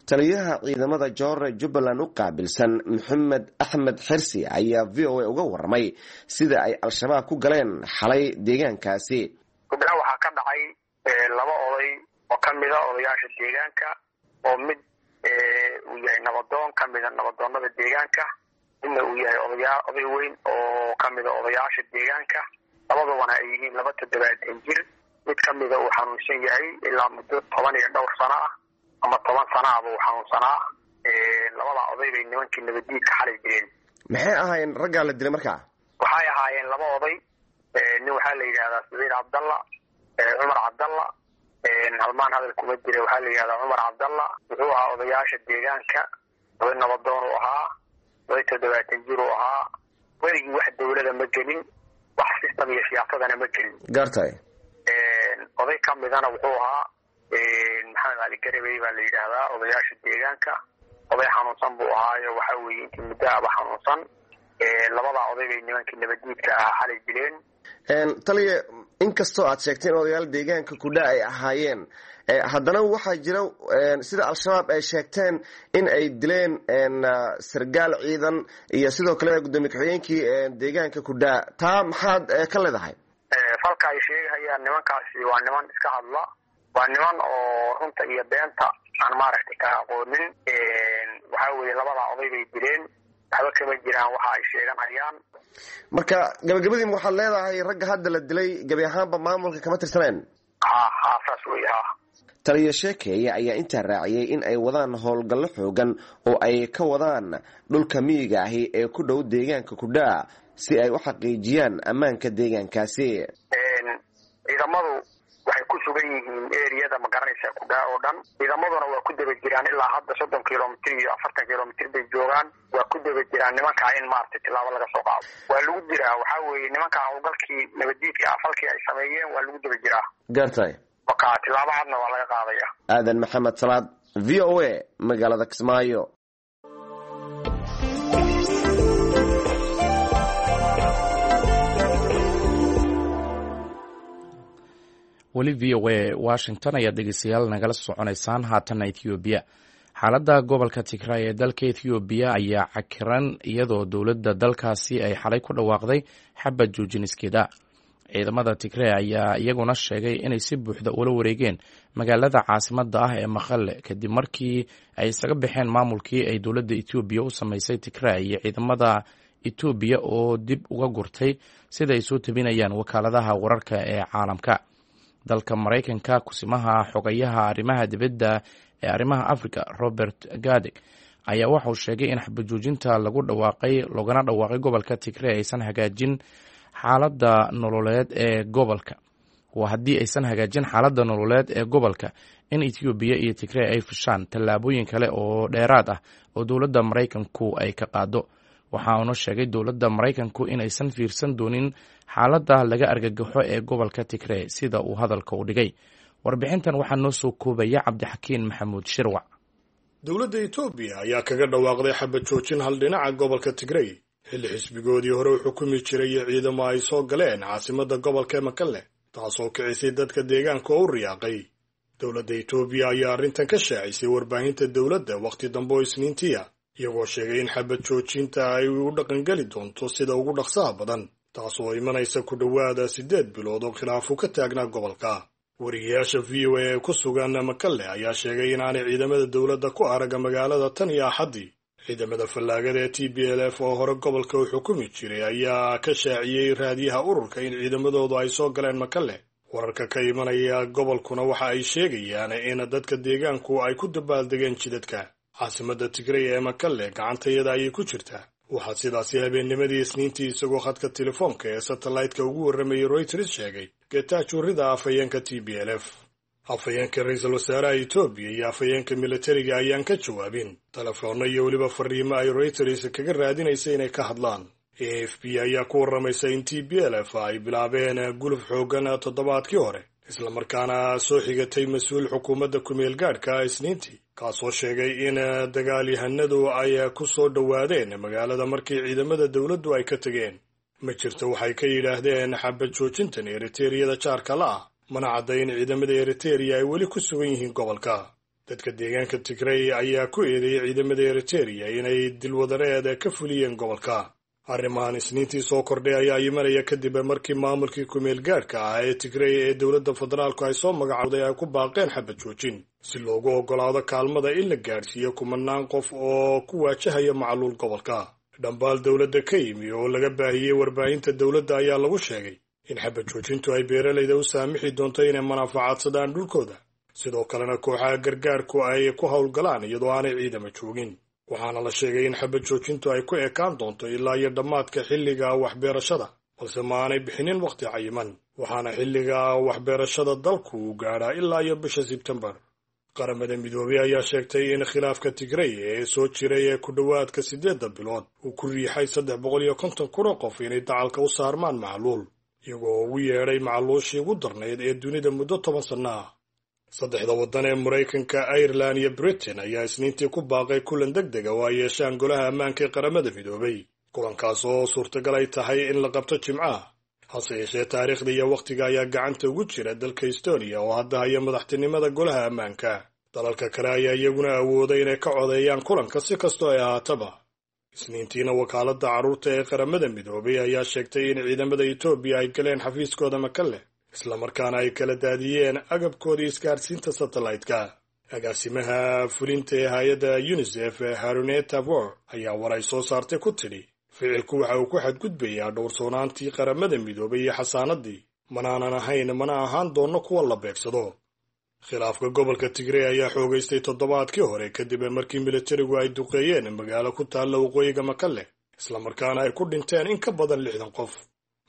Taliyaha ciidamada joorre Jubbaland u qaabilsan, Maxamed Axmed Xirsi, ayaa V O A uga waramay sida ay Al-Shabaab ku galeen xalay deegaankaasi. Kudhaa waxaa ka dhacay 2 oday oo ka mid a odayaasha deegaanka oo mid Uu yahay nabadoon kamida nabadoonada deegaanka, midna uu yahay odayaa oday weyn oo kamida odayaasha deegaanka. Labadubana ay yihiin 72 jir. Mid kamida uu xanuunsan yahay ilaa muddo 10 iyo dhowr sano ah ama 10 sano ahba uu xanuunsanaa. Labada oday bay nimankii nabadiidka xalay dileen. Maxay ahaayeen raggaa la dilay markaa? Waxay ahaayeen laba oday. Nin waxaa la yidhahdaa Saciid Cabdalla Cumar Cabdalla, halmaan hadal kuma jira. Waxaa la yidhahdaa Cumar Cabdalla, wuxuu ahaa odayaasha deegaanka, oday nabadoon uu ahaa, oday 70 jir uu ahaa. Weligii wax dawlada ma gelin, wax system iyo siyaasadana ma gelin. Gartay. Oday kamidana wuxuu ahaa Maxamed Cali Garabey baa la yidhaahdaa, odayaasha deegaanka. Oday xanuunsan buu ahaayo, waxaa weeye intii muddo aba xanuunsan. Labadaa oday bay nimankii nabadiidka ahaa xalay dileen. Taliya, inkastoo aad sheegtay in odayaal deegaanka kudha ay ahaayeen, haddana waxaa jira sida Al-Shabaab ay sheegteen in ay dileen sargaal ciidan iyo sidoo kale gudoomiye ku-xigeenkii deegaanka kudhaa. Taa maxaad ka leedahay? Falka ay sheegahayaan nimankaasi waa niman iska hadla, waa niman oo runta iyo beenta aan maaragtay ka aqoonin. Waxaa weeye labadaa oday bay dileen, waxba kama jiraan waxa ay sheeganayaan. Marka gabagabadiin waxaad leedahay ragga hadda la dilay gebi ahaanba maamulka kama tirsaneen? Ha ha, saas wey, ha. Taliya Sheekeeye ayaa intaa raaciyey in ay wadaan howlgallo xoogan oo ay ka wadaan dhulka miyiga ahi ee ku dhow deegaanka kudhaa si ay u xaqiijiyaan ammaanka deegaankaasi. Ciidamadu waxay ku sugan yihiin eriyada, ma garanaysaa, kudhaa oo dhan. Ciidamaduna waa ku daba jiraan ilaa hadda 30 kilomitr iyo 40 kilomitr bay joogaan. Waa ku daba jiraan nimankaa in maaragtay tilaabo laga soo qaado. Waa lagu jiraa, waxaa weeye nimankaa howlgalkii nabadiidka ah falkii ay sameeyeen waa lagu daba jiraa. Gartay. Marka tilaabo cadna waa laga qaadaya. Aadan Maxamed Salaad, V O A, magaalada Kismaayo. Weli V O A Washington ayaad dhegeystayaal nagala soconaysaan. Haatanna Ethoobiya. Xaaladda gobolka Tigray ee dalka Ethoobiya ayaa cakiran, iyadoo dowladda dalkaasi ay xalay ku dhawaaqday xabad joojiniskeeda. Ciidamada Tigray ayaa iyaguna sheegay inay si buuxda ula wareegeen magaalada caasimadda ah ee Maqale, kadib markii ay isaga baxeen maamulkii ay dowladda Etoobiya u sameysay Tigray iyo ciidamada Etoobiya oo dib uga gurtay, sida ay soo tabinayaan wakaaladaha wararka ee caalamka. Dalka Maraykanka, kusimaha xogayaha arrimaha dibadda ee arrimaha Africa Robert Gadeg ayaa waxauu sheegay in xabajoojinta lagu dhawaaqay loogana dhawaaqay gobolka Tigray aysan hagaajin xaaladda nololeed ee gobolka. Waa haddii aysan hagaajin xaaladda nololeed ee gobolka in Etoobiya iyo Tigray ay fushaan tallaabooyin kale oo dheeraad ah oo dowladda Maraykanku ay ka qaado. Waxa uuna sheegay dowladda Maraykanku inaysan fiirsan doonin xaaladda laga argagaxo ee gobolka Tigray, sida uu hadalka u dhigay. Warbixintan waxaa noo soo koobaya Cabdixakiin Maxamuud Shirwac. Dowladda Etoobiya ayaa kaga dhawaaqday xabad joojin hal dhinaca gobolka Tigrey, xilli xisbigoodii hore u xukumi jiray iyo ciidamo ay soo galeen caasimadda gobolka Makalle, taasoo kicisay dadka deegaanka oo u riyaaqay. Dowladda Etoobiya ayaa arrintan ka shaacisay warbaahinta dowladda wakhti dambe oo Isniintiya, iyagoo sheegay in xabad joojinta ay u dhaqangeli doonto sida ugu dhaqsaha badan, taasoo imanaysa ku dhowaada 8 bilood oo khilaafu ka taagnaa gobolka. Wariyayaasha V O A ee ku sugan Makalle ayaa sheegay inaanay ciidamada dowladda ku araga magaalada tan iyo Axaddii. Ciidamada fallaagada ee T B L F oo hore gobolka u xukumi jiray ayaa ka shaaciyey raadiyaha ururka in ciidamadoodu ay soo galeen Makalle. Wararka ka imanaya gobolkuna waxa ay sheegayaan in dadka deegaanku ay ku dabaaldegeen jidadka. Caasimadda Tigray ee Makalle gacantayada ayay ku jirtaa. Waxaa sidaasi habeennimadii Isniintii isagoo khadka telefoonka ee satellaytka ugu warramayay Reuters sheegay Getachew Rida, afhayeenka T B L F. Afhayeenka ra-iisul wasaaraha Etoobiya iyo afhayeenka militariga ayaan ka jawaabin telefoonno iyo weliba fariimo ay Reuters kaga raadinaysa inay ka hadlaan. A F B ayaa ku warramaysa in T B L F ay bilaabeen guluf xoogan toddobaadkii hore, islamarkaana soo xigatay mas-uul xukuumadda ku-meel gaadhka Isniintii, kaasoo sheegay in dagaalyahanadu ay ku soo dhowaadeen magaalada markii ciidamada dowladdu ay ka tegeen. Ma jirto waxay ka yidhaahdeen xabad joojintan Eriteriyada jaarka la ah, mana cadda in ciidamada Eritereya ay weli ku sugan yihiin gobolka. Dadka deegaanka Tigrey ayaa ku eedeeyay ciidamada Eritereya inay dilwadareed ka fuliyeen gobolka. Arrimahan Isniintii soo kordhay ayaa imanaya kadib markii maamulkii kumeel gaadhka ah ee Tigrey ee dowladda federaalku ay soo magacowday ay ku baaqeen xabad joojin si loogu oggolaado kaalmada in la gaadhsiiyo kumanaan qof oo ku waajahaya macluul gobolka. Dhambaal dowladda ka yimi oo laga baahiyey warbaahinta dowladda ayaa lagu sheegay in xabad joojintu ay beeralayda u saamixi doonto inay manaafacaadsadaan dhulkooda, sidoo kalena kooxaha gargaarku ay ku howlgalaan iyadoo aanay ciidama joogin. Waxaana la sheegay in xabad joojintu ay ku ekaan doonto ilaa iyo dhammaadka xilliga waxbeerashada, balse ma aanay bixinin wakhti cayiman, waxaana xilliga waxbeerashada dalku uu gaadhaa ilaa iyo bisha Sebtembar. Qaramada Midoobey ayaa sheegtay in khilaafka Tigrey ee soo jiray ee ku dhowaadka 8 bilood uu ku riixay 350,000 oo qof inay dacalka u saarmaan macluul, iyagoo ugu yeedhay macluushii ugu darnayd ee dunida muddo 10 sanno ah. Saddexda waddan ee Maraykanka, Ireland iyo Britain ayaa Isniintii ku baaqay kulan deg dega oo ay yeeshaan Golaha Ammaanka ee Qaramada Midoobay, kulankaas oo suurtagal ay tahay in la qabto Jimcaha. Hase yeeshee, taariikhda iyo wakhtiga ayaa gacanta ugu jira dalka Estonia oo hadda haya madaxtinimada Golaha Ammaanka. Dalalka kale ayaa iyaguna awooday inay ka codeeyaan kulanka si kastoo ay ahaataba. Isniintiina wakaaladda carruurta ee Qaramada Midoobay ayaa sheegtay in ciidamada Etoobiya ay galeen xafiiskooda Makalle, islamarkaana ay kala daadiyeen agabkoodii isgaadhsiinta satellite-ka. Agaasimaha fulinta ee hay-adda UNICEF, Haruneta Vor, ayaa war ay soo saartay ku tidhi: "Ficilku waxa uu ku xadgudbayaa dhowrsoonaantii Qaramada Midoobay iyo xasaanadii. Manaanan ahayn mana ahaan doonno kuwa la beegsado." Khilaafka gobolka Tigrey ayaa xoogaystay toddobaadkii hore kadib markii militarigu ay duqeeyeen magaalo ku taalla waqooyiga Makalle, islamarkaana ay ku dhinteen in ka badan 60 qof.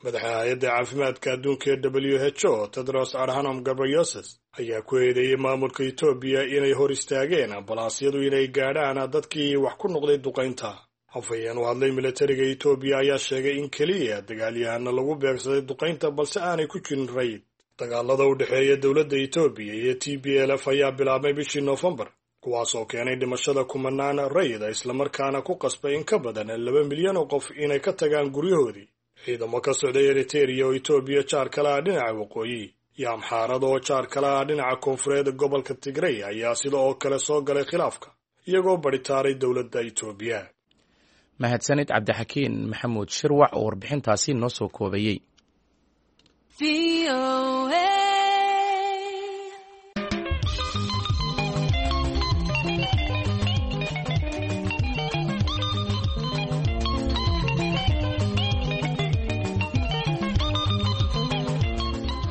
Madaxa hay-adda caafimaadka adduunka ee WHO, Tedros Adhanom Ghebreyesus, ayaa ku eedeeyey maamulka Etoobiya inay hor istaageen ambalaasyadu inay gaadhaan dadkii wax ku noqday duqaynta. Afhayeen u hadlay militariga Etoobiya ayaa sheegay in keliya dagaalyahana lagu beegsaday duqaynta, balse aanay ku jirin rayid. Dagaalada u dhexeeya dowladda Etoobiya iyo TPLF ayaa bilaabmay bishii Noofembar, kuwaas oo keenay dhimashada kumanaan rayida, islamarkaana ku qasbay in ka badan 2 milyan oo qof inay ka tagaan guryahoodii. Ciidamo ka socday Eritereya oo Etoobiya jaar kale ah dhinaca waqooyi iyo Amxaarada oo jaar kale ah dhinaca koonfureed gobolka Tigrey ayaa sida oo kale soo galay khilaafka, iyagoo badhitaaray dowladda Etoobiya. Mahadsanid Cabdixakiin Maxamuud Shirwac oo warbixintaasi noo soo koobayey.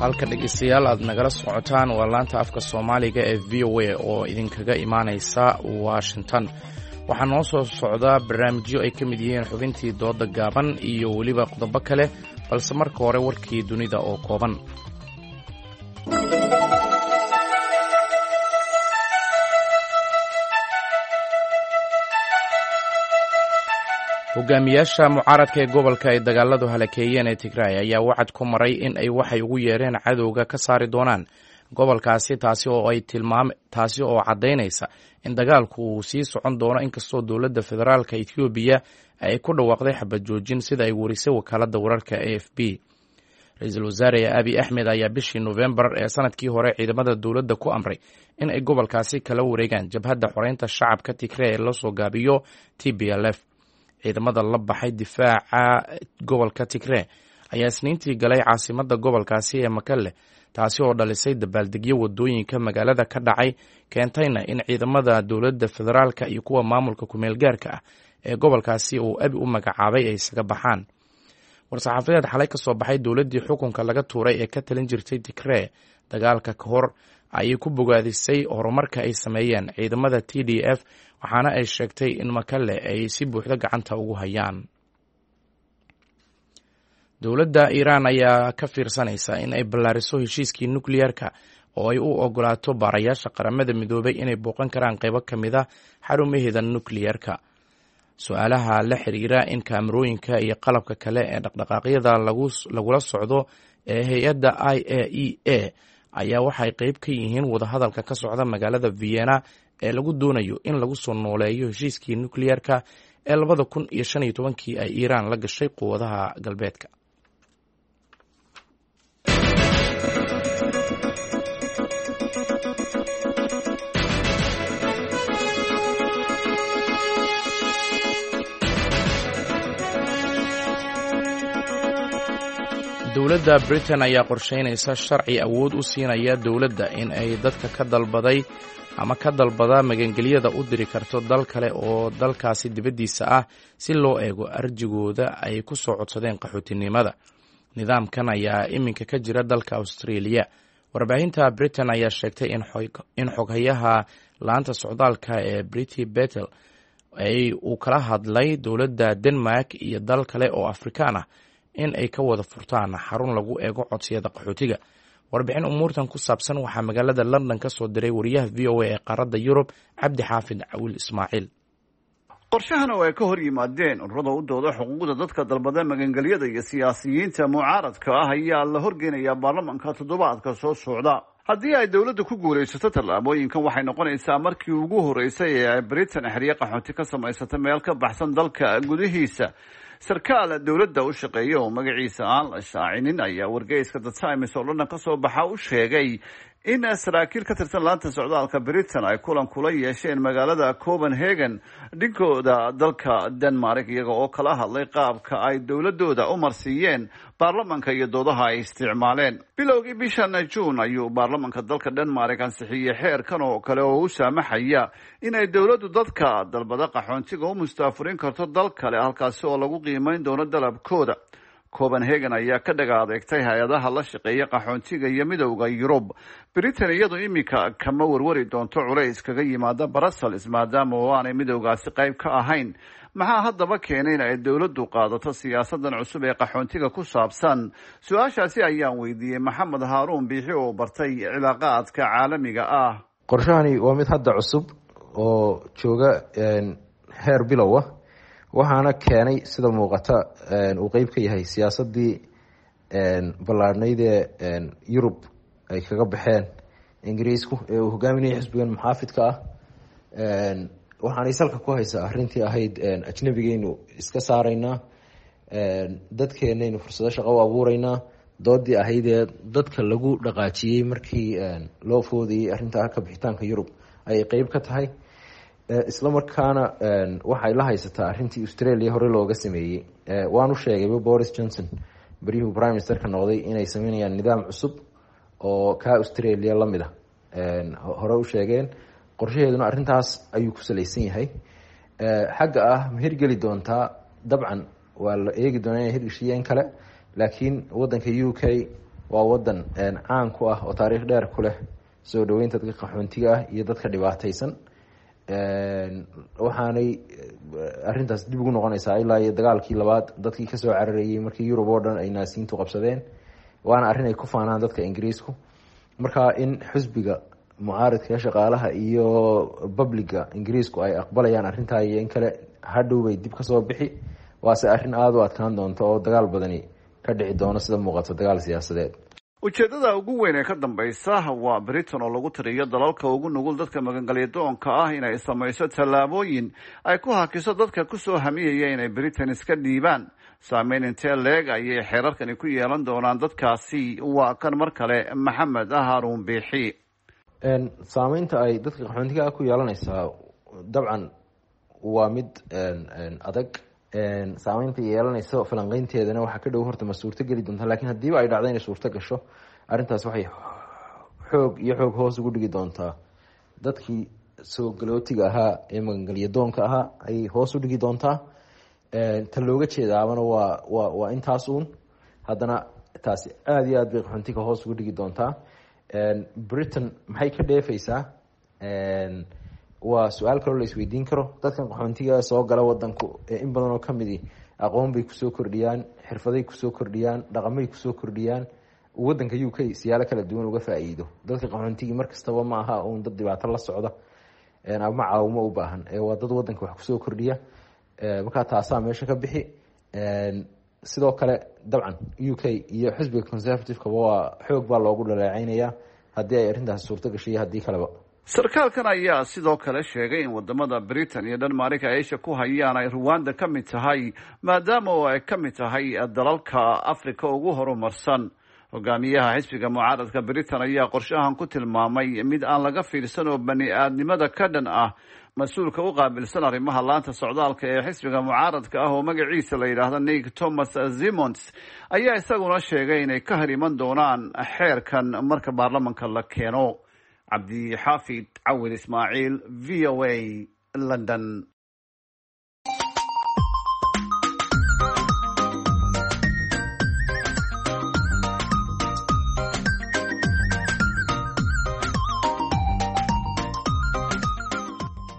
Halka dhegeystayaal aad nagala socotaan waa laanta afka Soomaaliga ee VOA oo idinkaga imaaneysa Washington. Waxaa noo soo socdaa barnaamijyo ay ka mid yihiin xubintii dooda gaaban iyo weliba qodobo kale, balse marka hore warkii dunida oo kooban. Hogaamiyaasha mucaaradka ee gobolka ay dagaaladu halakeeyeen ee Tigraay ayaa wacad ku maray in ay waxay ugu yeereen cadowga ka saari doonaan gobolkaasi, taasi oo ay tilmaam taasi oo caddaynaysa in dagaalku uu sii socon doono inkastoo dowladda federaalka Etoobiya ay ku dhawaaqday xabad joojin, sida ay warisay wakaaladda wararka AFP. Ra-iisul wasaare Abi Axmed ayaa bishii Nofembar ee sanadkii hore ciidamada dowladda ku amray in ay gobolkaasi kala wareegaan jabhadda xoreynta shacabka Tigrey ee lasoo gaabiyo TPLF. Ciidamada la baxay difaaca gobolka Tigree ayaa Isniintii galay caasimadda gobolkaasi ee Makalle, taasi oo dhalisay dabaaldegyo wadooyinka magaalada ka dhacay, keentayna in ciidamada dowladda federaalka iyo kuwa maamulka kumeel gaarka ah ee gobolkaasi uu Abi u magacaabay ay isaga baxaan. War-saxaafadeed xalay ka soo baxay dowladdii xukunka laga tuuray ee ka talin jirtay Tigree dagaalka ka hor ayay ku bogaadisay horumarka ay sameeyeen ciidamada TDF, waxaana ay sheegtay in Makalle ay si buuxda gacanta ugu hayaan. Dowladda Iiraan ayaa ka fiirsanaysa in ay ballaariso heshiiskii nukliyeerka oo ay u ogolaato baarayaasha Qaramada Midoobay inay booqan karaan qaybo ka mid a xarumaheeda nukliyeerka. Su-aalaha la xiriira in kaamarooyinka iyo qalabka kale ee dhaqdhaqaaqyada lagula socdo ee hay-adda IAEA ayaa waxay qeyb ka yihiin wadahadalka ka socda magaalada Vienna ee lagu doonayo in lagu soo nooleeyo heshiiskii nukliyeerka ee 2015-kii ay Iiraan la gashay quwadaha galbeedka. Dowladda Britain ayaa qorsheynaysa sharci awood u siinaya dowladda in ay dadka ka dalbaday ama ka dalbada magangelyada u diri karto dal kale oo dalkaasi dibaddiisa ah si loo eego arjigooda ay ku soo codsadeen qaxootinimada. Nidaamkan ayaa iminka ka jira dalka Australia. Warbaahinta Britain ayaa sheegtay in xoghayaha laanta socdaalka ee Briti Betel ay uu kala hadlay dowladda Denmark iyo dal kale oo Afrikaan ah in ay ka wada furtaan xarun lagu eego codsiyada qaxootiga. Warbixin umuurtan ku saabsan waxaa magaalada London ka soo diray wariyaha VOA ee qaaradda Yurub, Cabdi Xaafid Cawiil Ismaaciil. Qorshahan oo ay ka hor yimaadeen ururada u dooda xuquuqda dadka dalbada magangelyada iyo siyaasiyiinta mucaaradka ah ayaa la horgeynayaa baarlamanka toddobaadka soo socda. Haddii ay dowladda ku guulaysato tallaabooyinkan, waxay noqonaysaa markii ugu horreysay ee ay Britain xeryo qaxoonti ka samaysata meel ka baxsan dalka gudihiisa. Sarkaal dowladda u shaqeeya oo magaciisa aan la shaacinin ayaa wargeyska The Times oo London ka soo baxa u sheegay in saraakiil ka tirsan laanta socdaalka Britain ay kulan kula yeesheen magaalada Copenhagen dhinkooda dalka Denmark, iyaga oo kala hadlay qaabka ay dowladooda u marsiiyeen baarlamanka iyo doodaha ay isticmaaleen. Bilowgii bishan Juun ayuu baarlamanka dalka Denmark ansixiyey xeerkan oo kale oo u saamaxaya inay dowladdu dadka dalbada qaxoontiga u mustaafurin karto dal kale, halkaasi oo lagu qiimeyn doono dalabkooda. Copenhagen ayaa ka dhaga adeegtay hay-adaha la shaqeeya qaxoontiga iyo Midowda Yurub. Britain iyadu iminka kama warwari doonto culays kaga yimaada Brussels, maadaama oo aanay midowgaasi qayb ka ahayn. Maxaa haddaba keenay in ay dowladdu qaadato siyaasadan cusub ee qaxoontiga ku saabsan? Su-aashaasi ayaan weydiiyey Maxamed Haaruun Biixi oo bartay cilaaqaadka caalamiga ah. Qorshahani waa mid hadda cusub oo jooga heer bilow ah, waxaana keenay sida muuqata uu qeyb ka yahay siyaasadii ballaadhnayd ee Yurub ay kaga baxeen Ingiriisku ee uu hogaaminayay xisbigan muxaafidka ah. Waxaanay salka ku haysaa arrintii ahayd ajnabigeynu iska saaraynaa, dadkeenaynu fursado shaqo u abuureynaa, doodii ahaydee dadka lagu dhaqaajiyey markii loo foodayey arrinta ka bixitaanka Yurub ayay qeyb ka tahay. Isla markaana waxay la haysataa arrintii Australia hore looga sameeyey. Waanu sheegayba Boris Johnson beryuhuu prime ministerka noqday inay sameynayaan nidaam cusub oo kaa Australia lamid ah, hore u sheegeen. Qorshaheeduna arrintaas ayuu ku salaysan yahay. Xagga ah ma hirgeli doontaa? Dabcan waa la eegi doonaa inay hirgeshiyeen kale, laakiin wadanka UK waa wadan caan ku ah oo taariikh dheer ku leh soo dhaweynta dadka qaxoontiga ah iyo dadka dhibaataysan. Waxaanay arrintaas dib ugu noqonaysaa ilaa iyo dagaalkii labaad dadkii kasoo cararayey markii Yurub oo dhan ay naasiyiintu qabsadeen, waana arrin ay ku faanaan dadka Ingiriisku. Marka in xisbiga mucaaridka, shaqaalaha iyo babliga Ingiriisku ay aqbalayaan arrintaa iyo in kale hadhow bay dib kasoo bixi, waase arrin aada u adkaan doonto oo dagaal badani ka dhici doono sida muuqato, dagaal siyaasadeed. Ujeedada ugu weyn ee ka dambaysa waa Britain oo lagu tiriyo dalalka ugu nugul dadka magangalyadoonka ah inay samayso tallaabooyin ay ku hakiso dadka kusoo hamiyaya inay Britain iska dhiibaan. Saameyn intee leeg ayay xeerarkani ku yeelan doonaan dadkaasi? Waa kan mar kale Maxamed Haruun Biixi. Saameynta ay dadka qaxoontiga ku yeelanaysaa dabcan waa mid adag. Saameynta yeelanaysa falanqeynteedana waxaa ka dhow horta ma suurto geli doonta, lakin haddiiba ay dhacdo inay suurto gasho, arrintaas waxay xoog iyo xoog hoos ugu dhigi doontaa dadkii soo galootiga ahaa ee magangelyadoonka ahaa ayay hoos u dhigi doontaa. Ta looga jeedaabana waa intaas uun. Haddana taasi aada iyo aad bay qaxoontiga hoos ugu dhigi doontaa. Britain maxay ka dheefeysaa? Waa su-aal kaloo la isweydiin karo. Dadkan qaxoontiga soo gala wadanku in badan oo kamidi aqoon bay kusoo kordhiyaan, xirfaday kusoo kordhiyaan, dhaqamay kusoo kordhiyaan, wadanka UK siyaalo kala duwan uga faa-iido. Dadka qaxoontigii mar kastaba ma aha uun dad dhibaato la socda ama caawimo u baahan, waa dad wadanka wax kusoo kordhiya. Markaa taasaa meesha ka bixi. Sidoo kale dabcan UK iyo xisbiga Conservative-kaba waa xoog baa loogu dhaleeceynaya haddii ay arrintaasi suurto gashay iyo haddii kaleba. Sarkaalkan ayaa sidoo kale sheegay in wadamada Britain iyo Denmark ay isha ku hayaan ay Ruwanda ka mid tahay, maadaama oo ay ka mid tahay dalalka Africa ugu horumarsan. Hogaamiyaha xisbiga mucaaradka Britain ayaa qorshahan ku tilmaamay mid aan laga fiirsan oo bani aadnimada ka dhan ah. Mas-uulka u qaabilsan arrimaha laanta socdaalka ee xisbiga mucaaradka ah oo magaciisa la yidhaahdo Nick Thomas Simons ayaa isaguna sheegay inay ka hor iman doonaan xeerkan marka baarlamanka la keeno. Cabdixaafid Cawil Ismaaciil, V O A, London.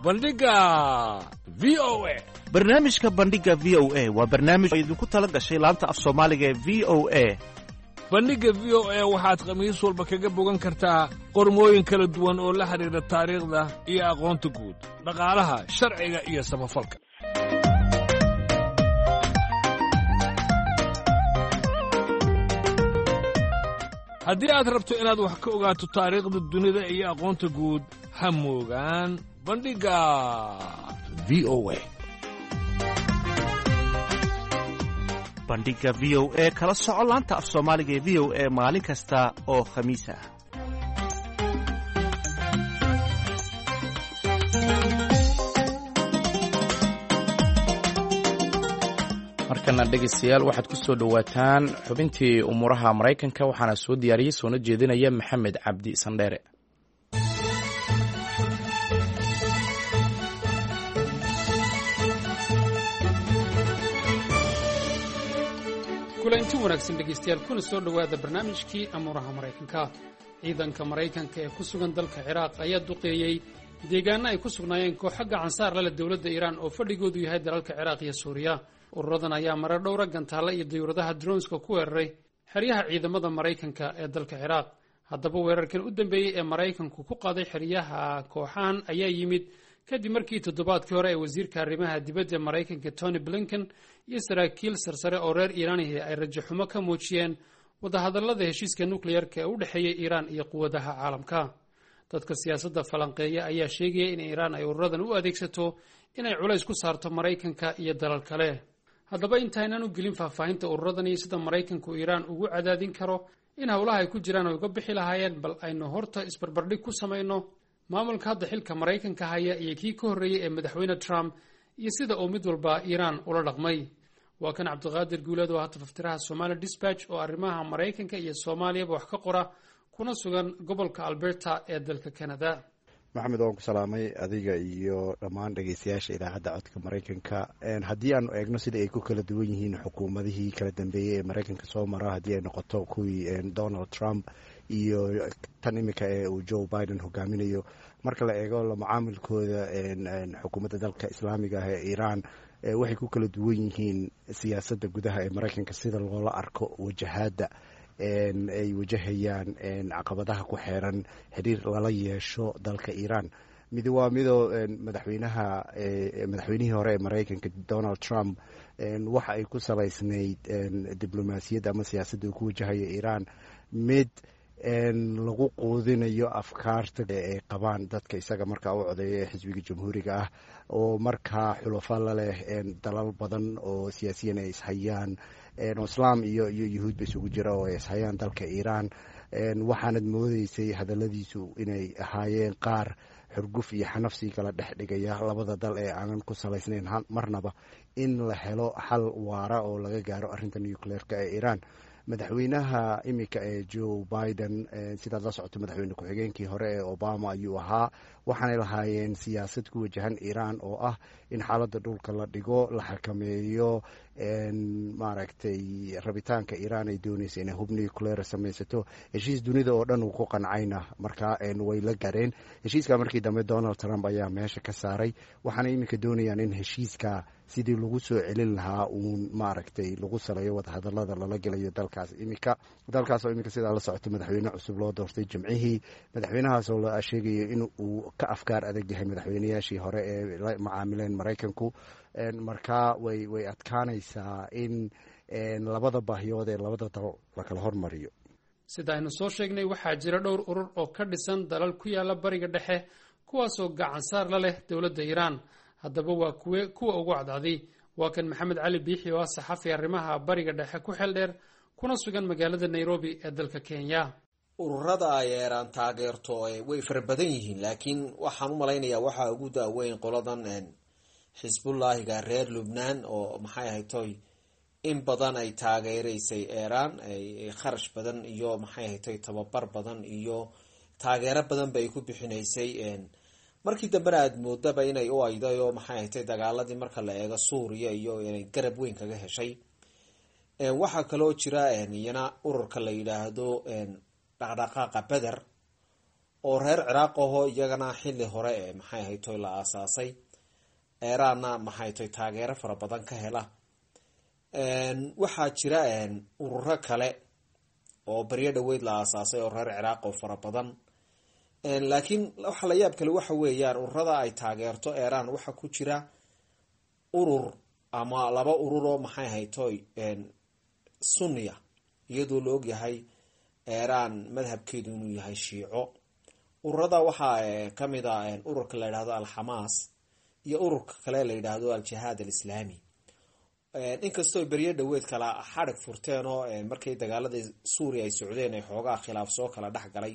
Bandhiga V O A. Barnaamijka Bandhiga V O A waa barnaamij oo idinku tala gashay laanta af Soomaaliga ee V O A. Bandhigga V O A waxaad khamiis walba kaga bogan kartaa qormooyin kala duwan oo la xidhiidha taariikhda iyo aqoonta guud, dhaqaalaha, sharciga iyo samafalka. Haddii aad rabto inaad wax ka ogaato taariikhda dunida iyo aqoonta guud, ha moogaan Bandhigga V O A. Bandhiga V O A kala soco laanta af Soomaaliga ee V O A maalin kasta oo Khamiis ah. Markana dhegaystayaal, waxaad ku soo dhowaataan xubintii umuuraha Maraykanka, waxaana soo diyaariyey soona jeedinaya Maxamed Cabdi Sandheere. Kulanti wanaagsan dhegaystayaal, kuna soo dhowaada barnaamijkii amuuraha Maraykanka. Ciidanka Maraykanka ee ku sugan dalka Ciraaq ayaa duqeeyey deegaano ay ku sugnaayeen kooxo gacansaar lale dowladda Iiraan oo fadhigoodu yahay dalalka Ciraaq iyo Suuriya. Ururadan ayaa marar dhowra gantaalla iyo dayuuradaha dronska ku weeraray xeryaha ciidamada Maraykanka ee dalka Ciraaq. Haddaba weerarkan u dambeeyey ee Maraykanku ku qaaday xeryaha kooxahan ayaa yimid kadib markii toddobaadkii hore ee wasiirka arrimaha dibadda Maraykanka Tony Blinken iyo saraakiil sarsare oo reer Iiraanihi ay rajaxumo ka muujiyeen wadahadallada heshiiska nukleyarka ee u dhexeeya Iiraan iyo quwadaha caalamka. Dadka siyaasadda falanqeeya ayaa sheegaya in Iiraan ay ururadan u adeegsato inay culays ku saarto Maraykanka iyo dalal kale. Haddaba intaaynan u gelin faahfaahinta ururadan iyo sida Maraykanku Iiraan ugu cadaadin karo in howlaha ay ku jiraan ay uga bixi lahaayeen, bal aynu horta isbarbardhig ku samayno maamulka hadda xilka Maraykanka haya iyo kii ka horreeyey ee madaxweyne Trump iyo sida uu mid walba Iiraan ula dhaqmay. Waa kan Cabdiqaadir Guuleed oo hata faftiraha Somali Dispatch oo arrimaha Maraykanka iyo Soomaaliyaba wax ka qora, kuna sugan gobolka Alberta ee dalka Canada. Maxamed, waan ku salaamay adiga iyo dhammaan dhegeystayaasha idaacadda Codka Maraykanka. Haddii aanu eegno sida ay ku kala duwan yihiin xukuumadihii kala dambeeyey ee Maraykanka soo mara, haddii ay noqoto kuwii Donald Trump iyo tan iminka ee uu Joe Biden hogaaminayo, marka la eego la macaamilkooda xukuumadda dalka islaamiga ah ee Iiraan, waxay ku kala duwan yihiin siyaasadda gudaha ee Maraykanka sida loola arko wajahaadda ay wajahayaan caqabadaha ku xeeran xiriir lala yeesho dalka Iiraan. Mid waa midoo madaxweynaha madaxweynihii hore ee Maraykanka Donald Trump waxa ay ku salaysnayd diblomaasiyadda ama siyaasadda uu ku wajahayo Iiraan mid lagu quudinayo afkaarta ay qabaan dadka isaga markaa u codeeya ee xisbiga Jamhuuriga ah, oo markaa xulafo la leh dalal badan oo siyaasiyan ay ishayaan, oo islaam iyo yuhuudba isugu jira oo ay ishayaan dalka Iiraan. Waxaanad moodeysay hadalladiisu inay ahaayeen qaar xurguf iyo xanafsi kala dhex dhigaya labada dal ee aanan ku salaysnayn marnaba in la helo xal waara oo laga gaaro arrinta nucleerka ee Iiraan. Madaxweynaha iminka ee Joe Biden, sidaad la socoto, madaxweyne ku-xigeenkii hore ee Obama ayuu ahaa. Waxaanay lahaayeen siyaasad ku wajahan Iiraan oo ah in xaaladda dhulka la dhigo, la xakameeyo maaragtay rabitaanka Iiraan ay doonaysa inay hub nuclear samaysato. Heshiis dunida oo dhan uu ku qancayna markaa way la gaareen heshiiska. Markii dambe Donald Trump ayaa meesha ka saaray, waxaana iminka doonayaan in heshiiska sidii lagu soo celin lahaa uun maaragtay lagu saleeyo wadahadalada lala gelayo dalkaas iminka, dalkaas oo iminka sidaa la socoto madaxweyne cusub loo doortay Jimcihii, madaxweynahaasoo la sheegayo in uu ka afkaar adag yahay madaxweynayaashii hore ee la macaamileen Maraykanku. Markaa way adkaanaysaa in labada baahiyood ee labada dal la kala hormariyo. Sida aynu soo sheegnay, waxaa jira dhowr urur oo ka dhisan dalal ku yaala Bariga Dhexe, kuwaasoo gacansaar la leh dowladda Iiraan. Haddaba waa kuwe kuwa ugu cadcadi? Waa kan Maxamed Cali Biixi oo ah saxafi arrimaha Bariga Dhexe ku xeel dheer, kuna kuna sugan magaalada Nairobi ee dalka Kenya. Ururada ay Eeraan taageerto way fara badan yihiin, laakiin waxaan u malaynayaa waxaa ugu daaweyn qoladan Xisbullaahiga reer Lubnaan, oo maxay ahaytoy in badan ay taageereysay Eeraan, kharash badan iyo maxay ahaytoy tababar badan iyo taageero badan bay ku bixinaysay. Markii dambena aada moodaba inay u ayday oo maxay ahaytoy dagaaladii marka la eego Suuriya iyo inay garab weyn kaga heshay. Waxaa kaloo jira iyana ururka la yidhaahdo Dhaqdhaqaaqa Beder oo reer Ciraaq aho, iyagana xilli hore ee maxay ahaytoy la aasaasay, Eeraanna maxay toy taageero fara badan ka hela. Waxaa jira ururo kale oo baryo dhaweyd la aasaasay oo reer Ciraaq oo fara badan, laakiin waxa la yaab kale waxa weeyaan ururada ay taageerto Eeraan waxaa ku jira urur ama laba urur oo maxay ahaytoy Sunniya, iyadoo la ogyahay Eeraan madhabkeedu inuu yahay Shiico. Ururada waxaa kamid a ururka la yidhahdo Alxamaas iyo ururka kale la yidhaahdo Al-Jihaad Alislaami. Inkastoo beryo dhaweed kala xadhig furteen oo markii dagaaladii Suuriya ay socdeen ay xoogaa khilaaf soo kala dhex galay,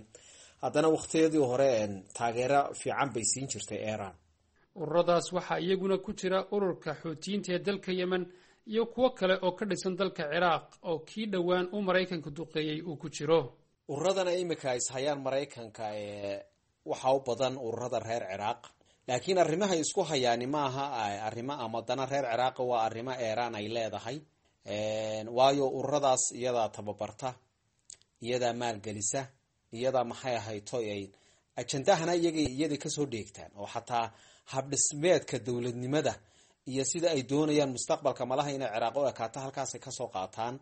haddana waqtiyadii hore taageero fiican bay siin jirtay Eeraan. Ururadaas waxaa iyaguna ku jira ururka Xuutiyiinta ee dalka Yemen iyo kuwo kale oo ka dhisan dalka Ciraaq oo kii dhowaan uu Maraykanka duqeeyey uu ku jiro. Ururadana imika ishayaan Maraykanka waxaa u badan ururada reer Ciraaq, laakiin arrimahay isku hayaani maaha arrimo ama dana reer Ciraaq, waa arrimo Eeraan ay leedahay. Waayo ururadaas iyadaa tababarta, iyadaa maalgelisa, iyadaa maxay ahaytoy ay ajendahana iyaga kasoo dheegtaan, oo xataa habdhismeedka dowladnimada iyo sida ay doonayaan mustaqbalka malaha inay Ciraaq u ekaato halkaasay kasoo qaataan,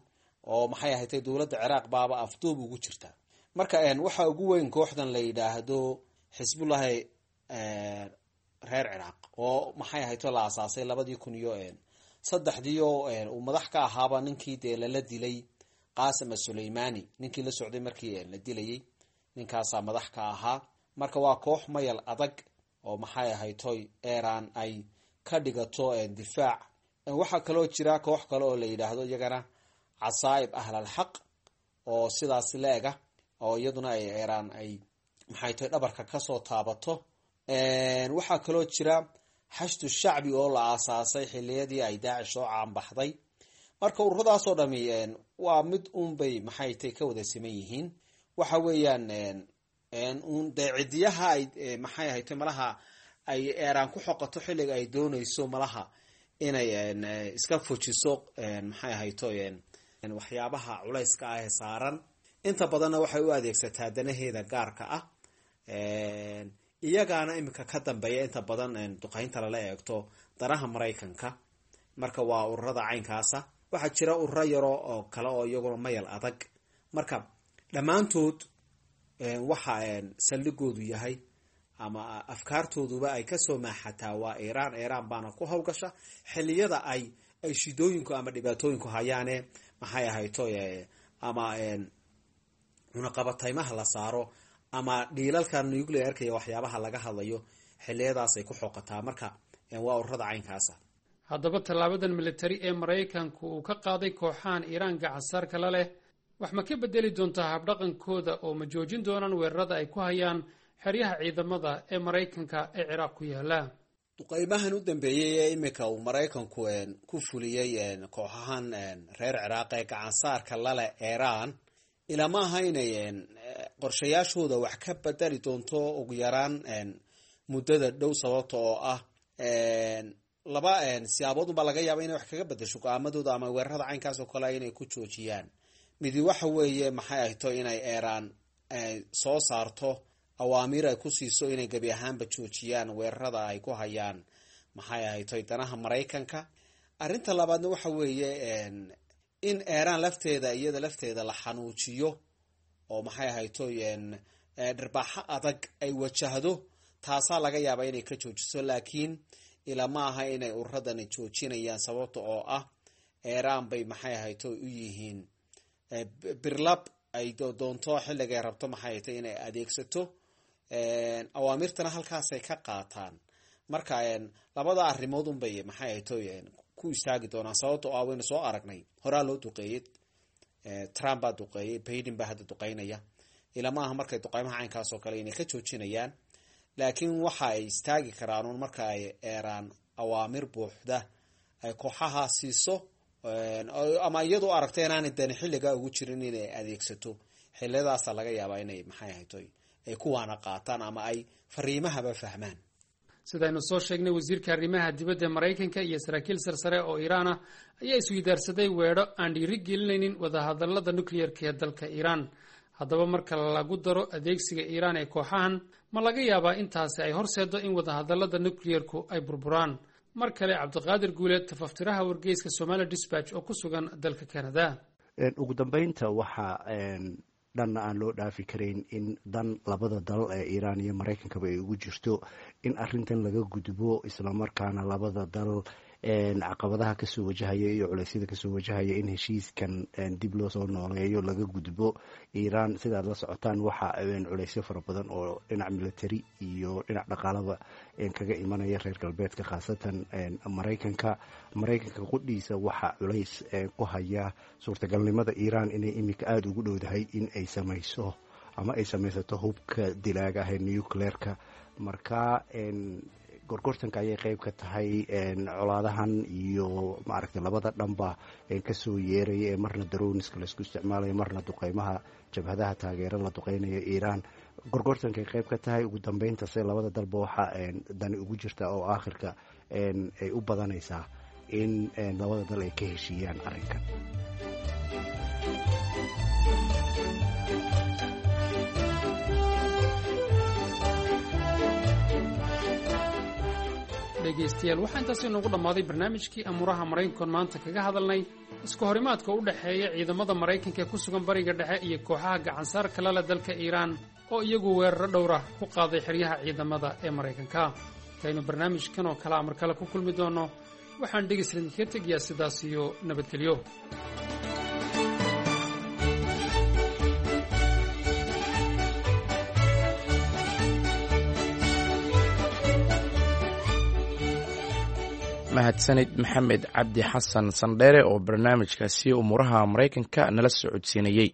oo maxay ahaytay dowladda Ciraaq baaba afduub ugu jirta. Marka waxaa ugu weyn kooxdan la yidhaahdo Xisbullahi reer Ciraaq oo maxay ahayto la asaasay 2003-dii, oo uu madax ka ahaaba ninkii dee lala dilay Qaasim Suleymani, ninkii la socday markii la dilayay, ninkaasaa madax ka ahaa. Marka waa koox mayal adag oo maxay ahaytoy Eeraan ay ka dhigato difaac. Waxaa kaloo jira koox kale oo la yidhaahdo iyagana Casaa'ib Ahlalxaq oo sidaas la-ega, oo iyaduna ay Eeraan ay maxay tahay dhabarka kasoo taabato. Waxaa kaloo jira Xashdu Shacbi oo la aasaasay xiliyadii ay Daacish soo caanbaxday. Marka ururadaasoo dhami waa mid uunbay maxay tahay ka wada siman yihiin, waxa weeyaan un dee cidiyaha ay maxay ahaytay malaha ay Eeraan ku xoqato xilliga ay doonayso malaha inay iska fujiso maxay ahayto waxyaabaha culayska ah ee saaran. Inta badanna waxay u adeegsataa danaheeda gaarka ah, iyagaana iminka ka dambeeya inta badan duqeynta lala eegto danaha Maraykanka. Marka waa ururada caynkaasa. Waxaa jira ururo yaro oo kale oo iyaguna mayal adag. Marka dhammaantood waxa saldhigoodu yahay ama afkaartooduba ay kasoo maaxataa waa Iiraan. Iiraan baana ku howlgasha xiliyada ay shidooyinku ama dhibaatooyinku hayaane maxay ahayto ama cunaqabataymaha la saaro ama dhiilalka nuclearka iyo waxyaabaha laga hadlayo, xiliyadaasay ku xoqataa. Marka waa ururada caynkaasa. Haddaba tallaabadan militari ee Maraykanku uu ka qaaday kooxahan Iiraan gacansaarka la leh wax ma ka bedeli doontaa habdhaqankooda, oo ma joojin doonaan weerarada ay ku hayaan xeryaha ciidamada ee Maraykanka ee Ciraaq ku yaala? Duqeymahan u dambeeyey ee iminka uu Maraykanku ku fuliyey kooxahan reer Ciraaq ee gacansaarka lale Eeraan, ilama aha inay qorshayaashooda wax ka bedeli doonto ugu yaraan muddada dhow, sababta oo ah laba siyaabood unbaa laga yaaba inay wax kaga bedesho go-aamadooda ama weerarada caynkaas oo kale inay ku joojiyaan. Midi waxa weeye maxay ahto inay Eeraan soo saarto awaamiir ay ku siiso inay gebi ahaanba joojiyaan weerarada ay ku hayaan maxay ahaytoy danaha Maraykanka. Arrinta labaadna waxa weeye in Eeraan lafteeda iyada lafteeda la xanuujiyo oo maxay ahaytoy dharbaaxo adag ay wajahdo, taasaa laga yaabaa inay ka joojiso. Laakiin ilama aha inay ururadani joojinayaan, sababta oo ah Eeraan bay maxay ahaytoy u yihiin birlab ay doonto xilligay rabto maxay ahaytoy inay adeegsato, awaamirtana halkaasay ka qaataan. Marka labada arrimood unbay maxay ahaytoy ku istaagi doonaan, sababta oo ah waynu soo aragnay horaa loo duqeeyey Trump baa duqeeyey, Baiden baa hadda duqeynaya. Ilama aha markay duqeymaha caynkaas oo kale inay ka joojinayaan, laakiin waxa ay istaagi karaan uun marka ay Eeraan awaamir buuxda ay kooxaha siiso, ama iyadu aragta inaanay dani xilligaa ugu jirin inay adeegsato. Xiliyadaasa laga yaabaa inay maxay ahayto ay kuwaana qaataan ama ay fariimahaba fahmaan. Sidaynu soo sheegnay, wasiirka arrimaha dibadda Maraykanka iyo saraakiil sarsare oo Iiraan ah ayaa isweydaarsaday weedho aan dhiiri gelinaynin wadahadallada nukliyerka ee dalka Iiraan. Haddaba, marka lagu daro adeegsiga Iiraan ee kooxahan, ma laga yaabaa intaasi ay horseedo in wadahadallada nukliyerku ay burburaan? Mar kale Cabdiqaadir Guuleed, tafaftiraha wargeyska Somali Dispatch oo ku sugan dalka Canada. Ugu dambeynta, waxaa dhanna aan loo dhaafi karayn in dan labada dal ee Iiraan iyo Maraykankaba ay ugu jirto in arintan laga gudbo, islamarkaana labada dal caqabadaha kasoo wajahaya iyo culeysyada kasoo wajahaya in heshiiskan dib loo soo nooleeyo, laga gudbo. Iiraan, sidaad la socotaan, waxa culeysyo fara badan oo dhinac military iyo dhinac dhaqaalaba kaga imanaya reer galbeedka, khaasatan Maraykanka. Maraykanka qudhiisa waxa culays ku haya suurtagalnimada Iiraan inay iminka aada ugu dhowdahay in ay samayso ama ay samaysato hubka dilaaga ah ee nucleerka. Marka gorgortanka ayay qeyb ka tahay colaadahan iyo maaragtay labada dhanba kasoo yeeraya ee marna droneska laisku isticmaalayo, marna duqeymaha jabhadaha taageero la duqeynayo Iiraan. Gorgortankay qeyb ka tahay. Ugu dambeynta se labada dalba waxaa dani ugu jirta oo aakhirka ay u badanaysaa in labada dal ay ka heshiiyaan arrinkan. Dhegaystayaal, waxaa intaasi inoogu dhammaaday barnaamijkii amuuraha Maraykankoon maanta kaga hadalnay isku horimaadka u dhexeeya ciidamada Maraykanka ee ku sugan Bariga Dhexe iyo kooxaha gacansaar kalale dalka Iiraan oo iyagu weeraro dhowrah ku qaaday xeryaha ciidamada ee Maraykanka. Intaynu barnaamijkan oo kale amar kale ku kulmi doonno, waxaan dhegaysla idinkaga tegayaa sidaas iyo nabadgelyo. Mahadsanid Maxamed Cabdi Xasan Sandheere oo barnaamijkaasi umuuraha Maraykanka nala socodsiinayey.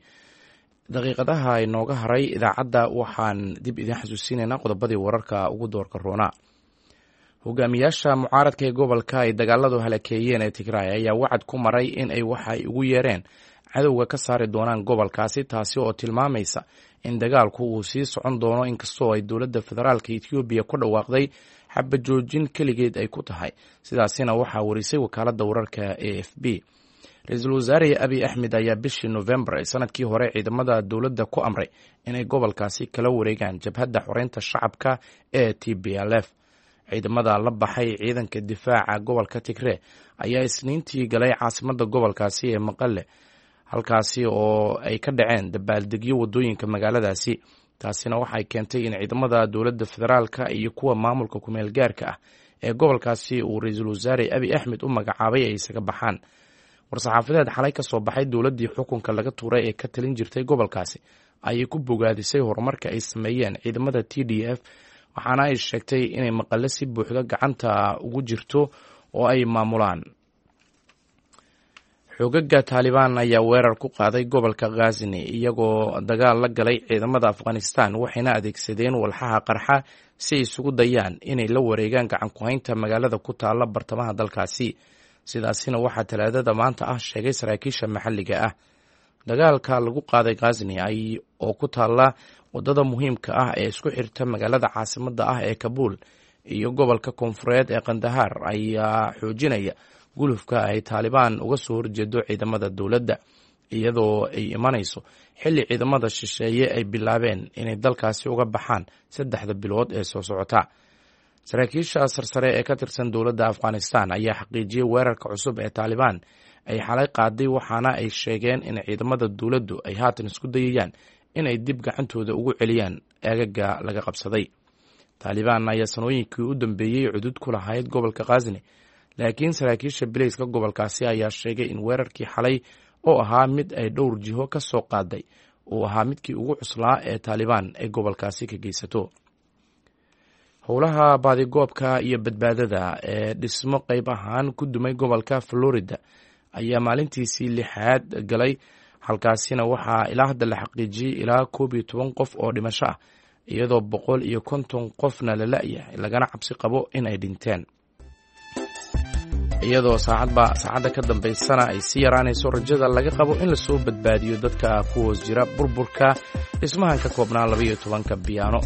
Daqiiqadaha inooga haray idaacadda waxaan dib idiin xasuusinaynaa qodobadii wararka ugu doorka roonaa. Hogaamiyaasha mucaaradka ee gobolka ay dagaaladu halakeeyeen ee Tigraay ayaa wacad ku maray in ay waxa ay ugu yeereen cadowga ka saari doonaan gobolkaasi, taasi oo tilmaamaysa in dagaalku uu sii socon doono inkastoo ay dowladda federaalka Etoobiya ku dhawaaqday xabajoojin keligeed ay ku tahay. Sidaasina waxaa warisay wakaaladda wararka AFP. Ra-iisul wasaare Abiy Axmed ayaa bishii Novembar ee sanadkii hore ciidamada dowladda ku amray inay gobolkaasi kala wareegaan jabhadda xoreynta shacabka ee TPLF. Ciidamada la baxay ciidanka difaaca gobolka Tigree ayaa Isniintii galay caasimadda gobolkaasi ee Maqale, halkaasi oo ay ka dhaceen dabaaldegyo wadooyinka magaaladaasi. Taasina waxay keentay in ciidamada dowladda federaalka iyo kuwa maamulka kumeel gaarka ah ee gobolkaasi uu ra-iisul wasaare Abiy Axmed u magacaabay ay isaga baxaan. War-saxaafadeed xalay ka soo baxay dowladdii xukunka laga tuuray ee ka talin jirtay gobolkaasi ayay ku bogaadisay horumarka ay sameeyeen ciidamada TDF, waxaana ay sheegtay inay Maqale si buuxda gacanta ugu jirto oo ay maamulaan. Xoogaga Taalibaan ayaa weerar ku qaaday gobolka Khasni, iyagoo dagaal la galay ciidamada Afghanistan, waxayna adeegsadeen walxaha qarxa si ay isugu dayaan inay la wareegaan gacan ku-haynta magaalada ku taalla bartamaha dalkaasi. Sidaasina waxaa Talaadada maanta ah sheegay saraakiisha maxalliga ah. Dagaalka lagu qaaday Khasni oo ku taalla wadada muhiimka ah ee isku xirta magaalada caasimadda ah ee Kabuul iyo gobolka koonfureed ee Kandahar ayaa xoojinaya gulufka ay Taalibaan uga soo horjeedo ciidamada dowladda, iyadoo ay imanayso xilli ciidamada shisheeye ay bilaabeen inay dalkaasi uga baxaan 3da bilood ee soo socota. Saraakiisha sarsare ee ka tirsan dowladda Afghanistan ayaa xaqiijiyey weerarka cusub ee Taalibaan ay xalay qaaday, waxaana ay sheegeen in ciidamada dowladdu ay haatan isku dayayaan inay dib gacantooda ugu celiyaan aagaga laga qabsaday. Taalibaan ayaa sanooyinkii u dambeeyey cudud ku lahayd gobolka Khasni, laakiin saraakiisha bileyska gobolkaasi ayaa sheegay in weerarkii xalay oo ahaa mid ay dhowr jiho ka soo qaaday uu ahaa midkii ugu cuslaa ee Taalibaan ay gobolkaasi ka geysato. Howlaha baadigoobka iyo badbaadada ee dhismo qayb ahaan ku dumay gobolka Florida ayaa maalintiisii lixaad galay, Halkaasina waxaa ilaa hadda la xaqiijiyey ilaa 11 qof oo dhimasho ah, iyadoo 150 qofna la la-yahay, lagana cabsi qabo in ay dhinteen, iyadoo saacadba saacadda ka dambaysana ay sii yaraanayso rajada laga qabo in lasoo badbaadiyo dadka ku hoos jira burburka dhismahan ka koobnaa 12-ka biyaano.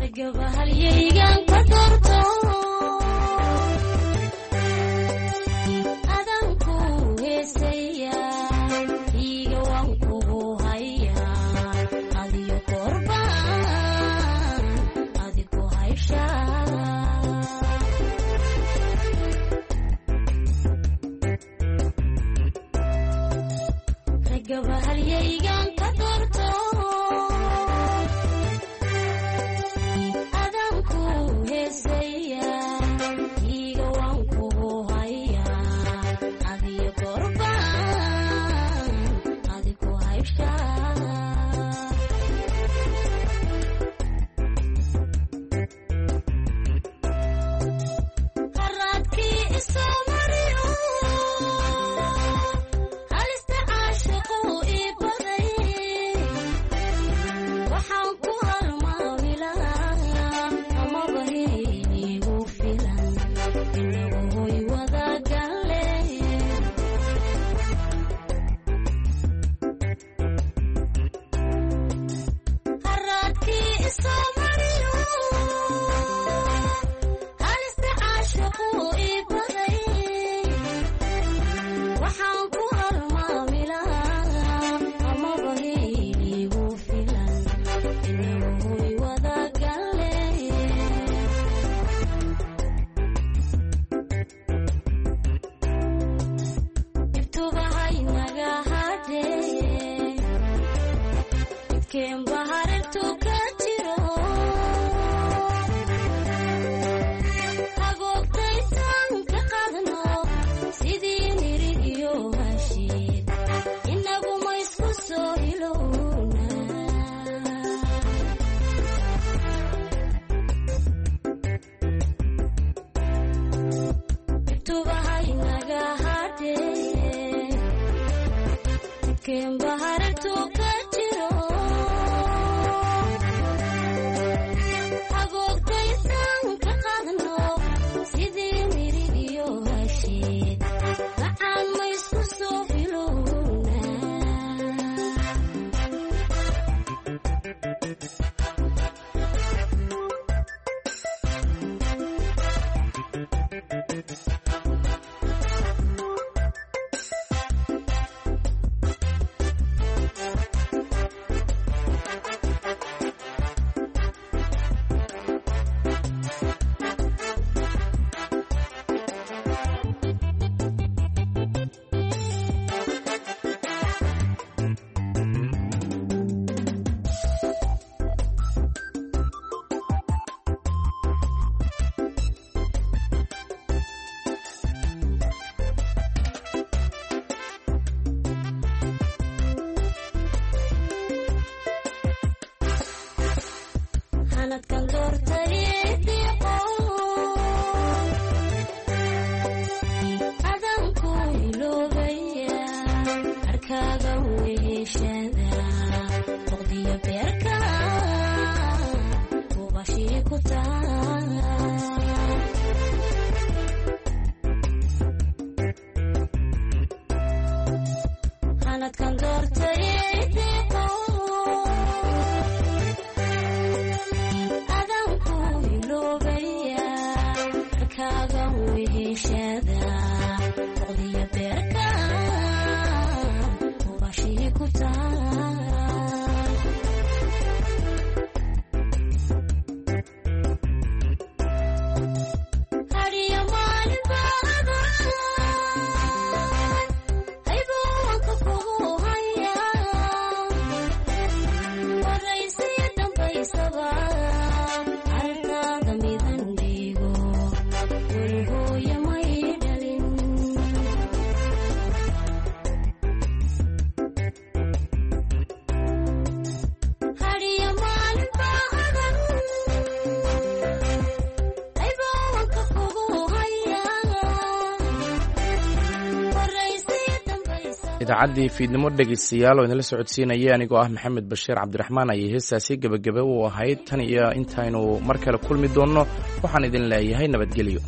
Idaacaddii fiidnimo dhegaystayaal oo idinla socodsiinaya anigoo ah Maxamed Bashiir Cabdiraxmaan ayay heestaasi gebagaba u ahayd. Tan iyo intaynu mar kale kulmi doonno, waxaan idin leeyahay nabadgelyo.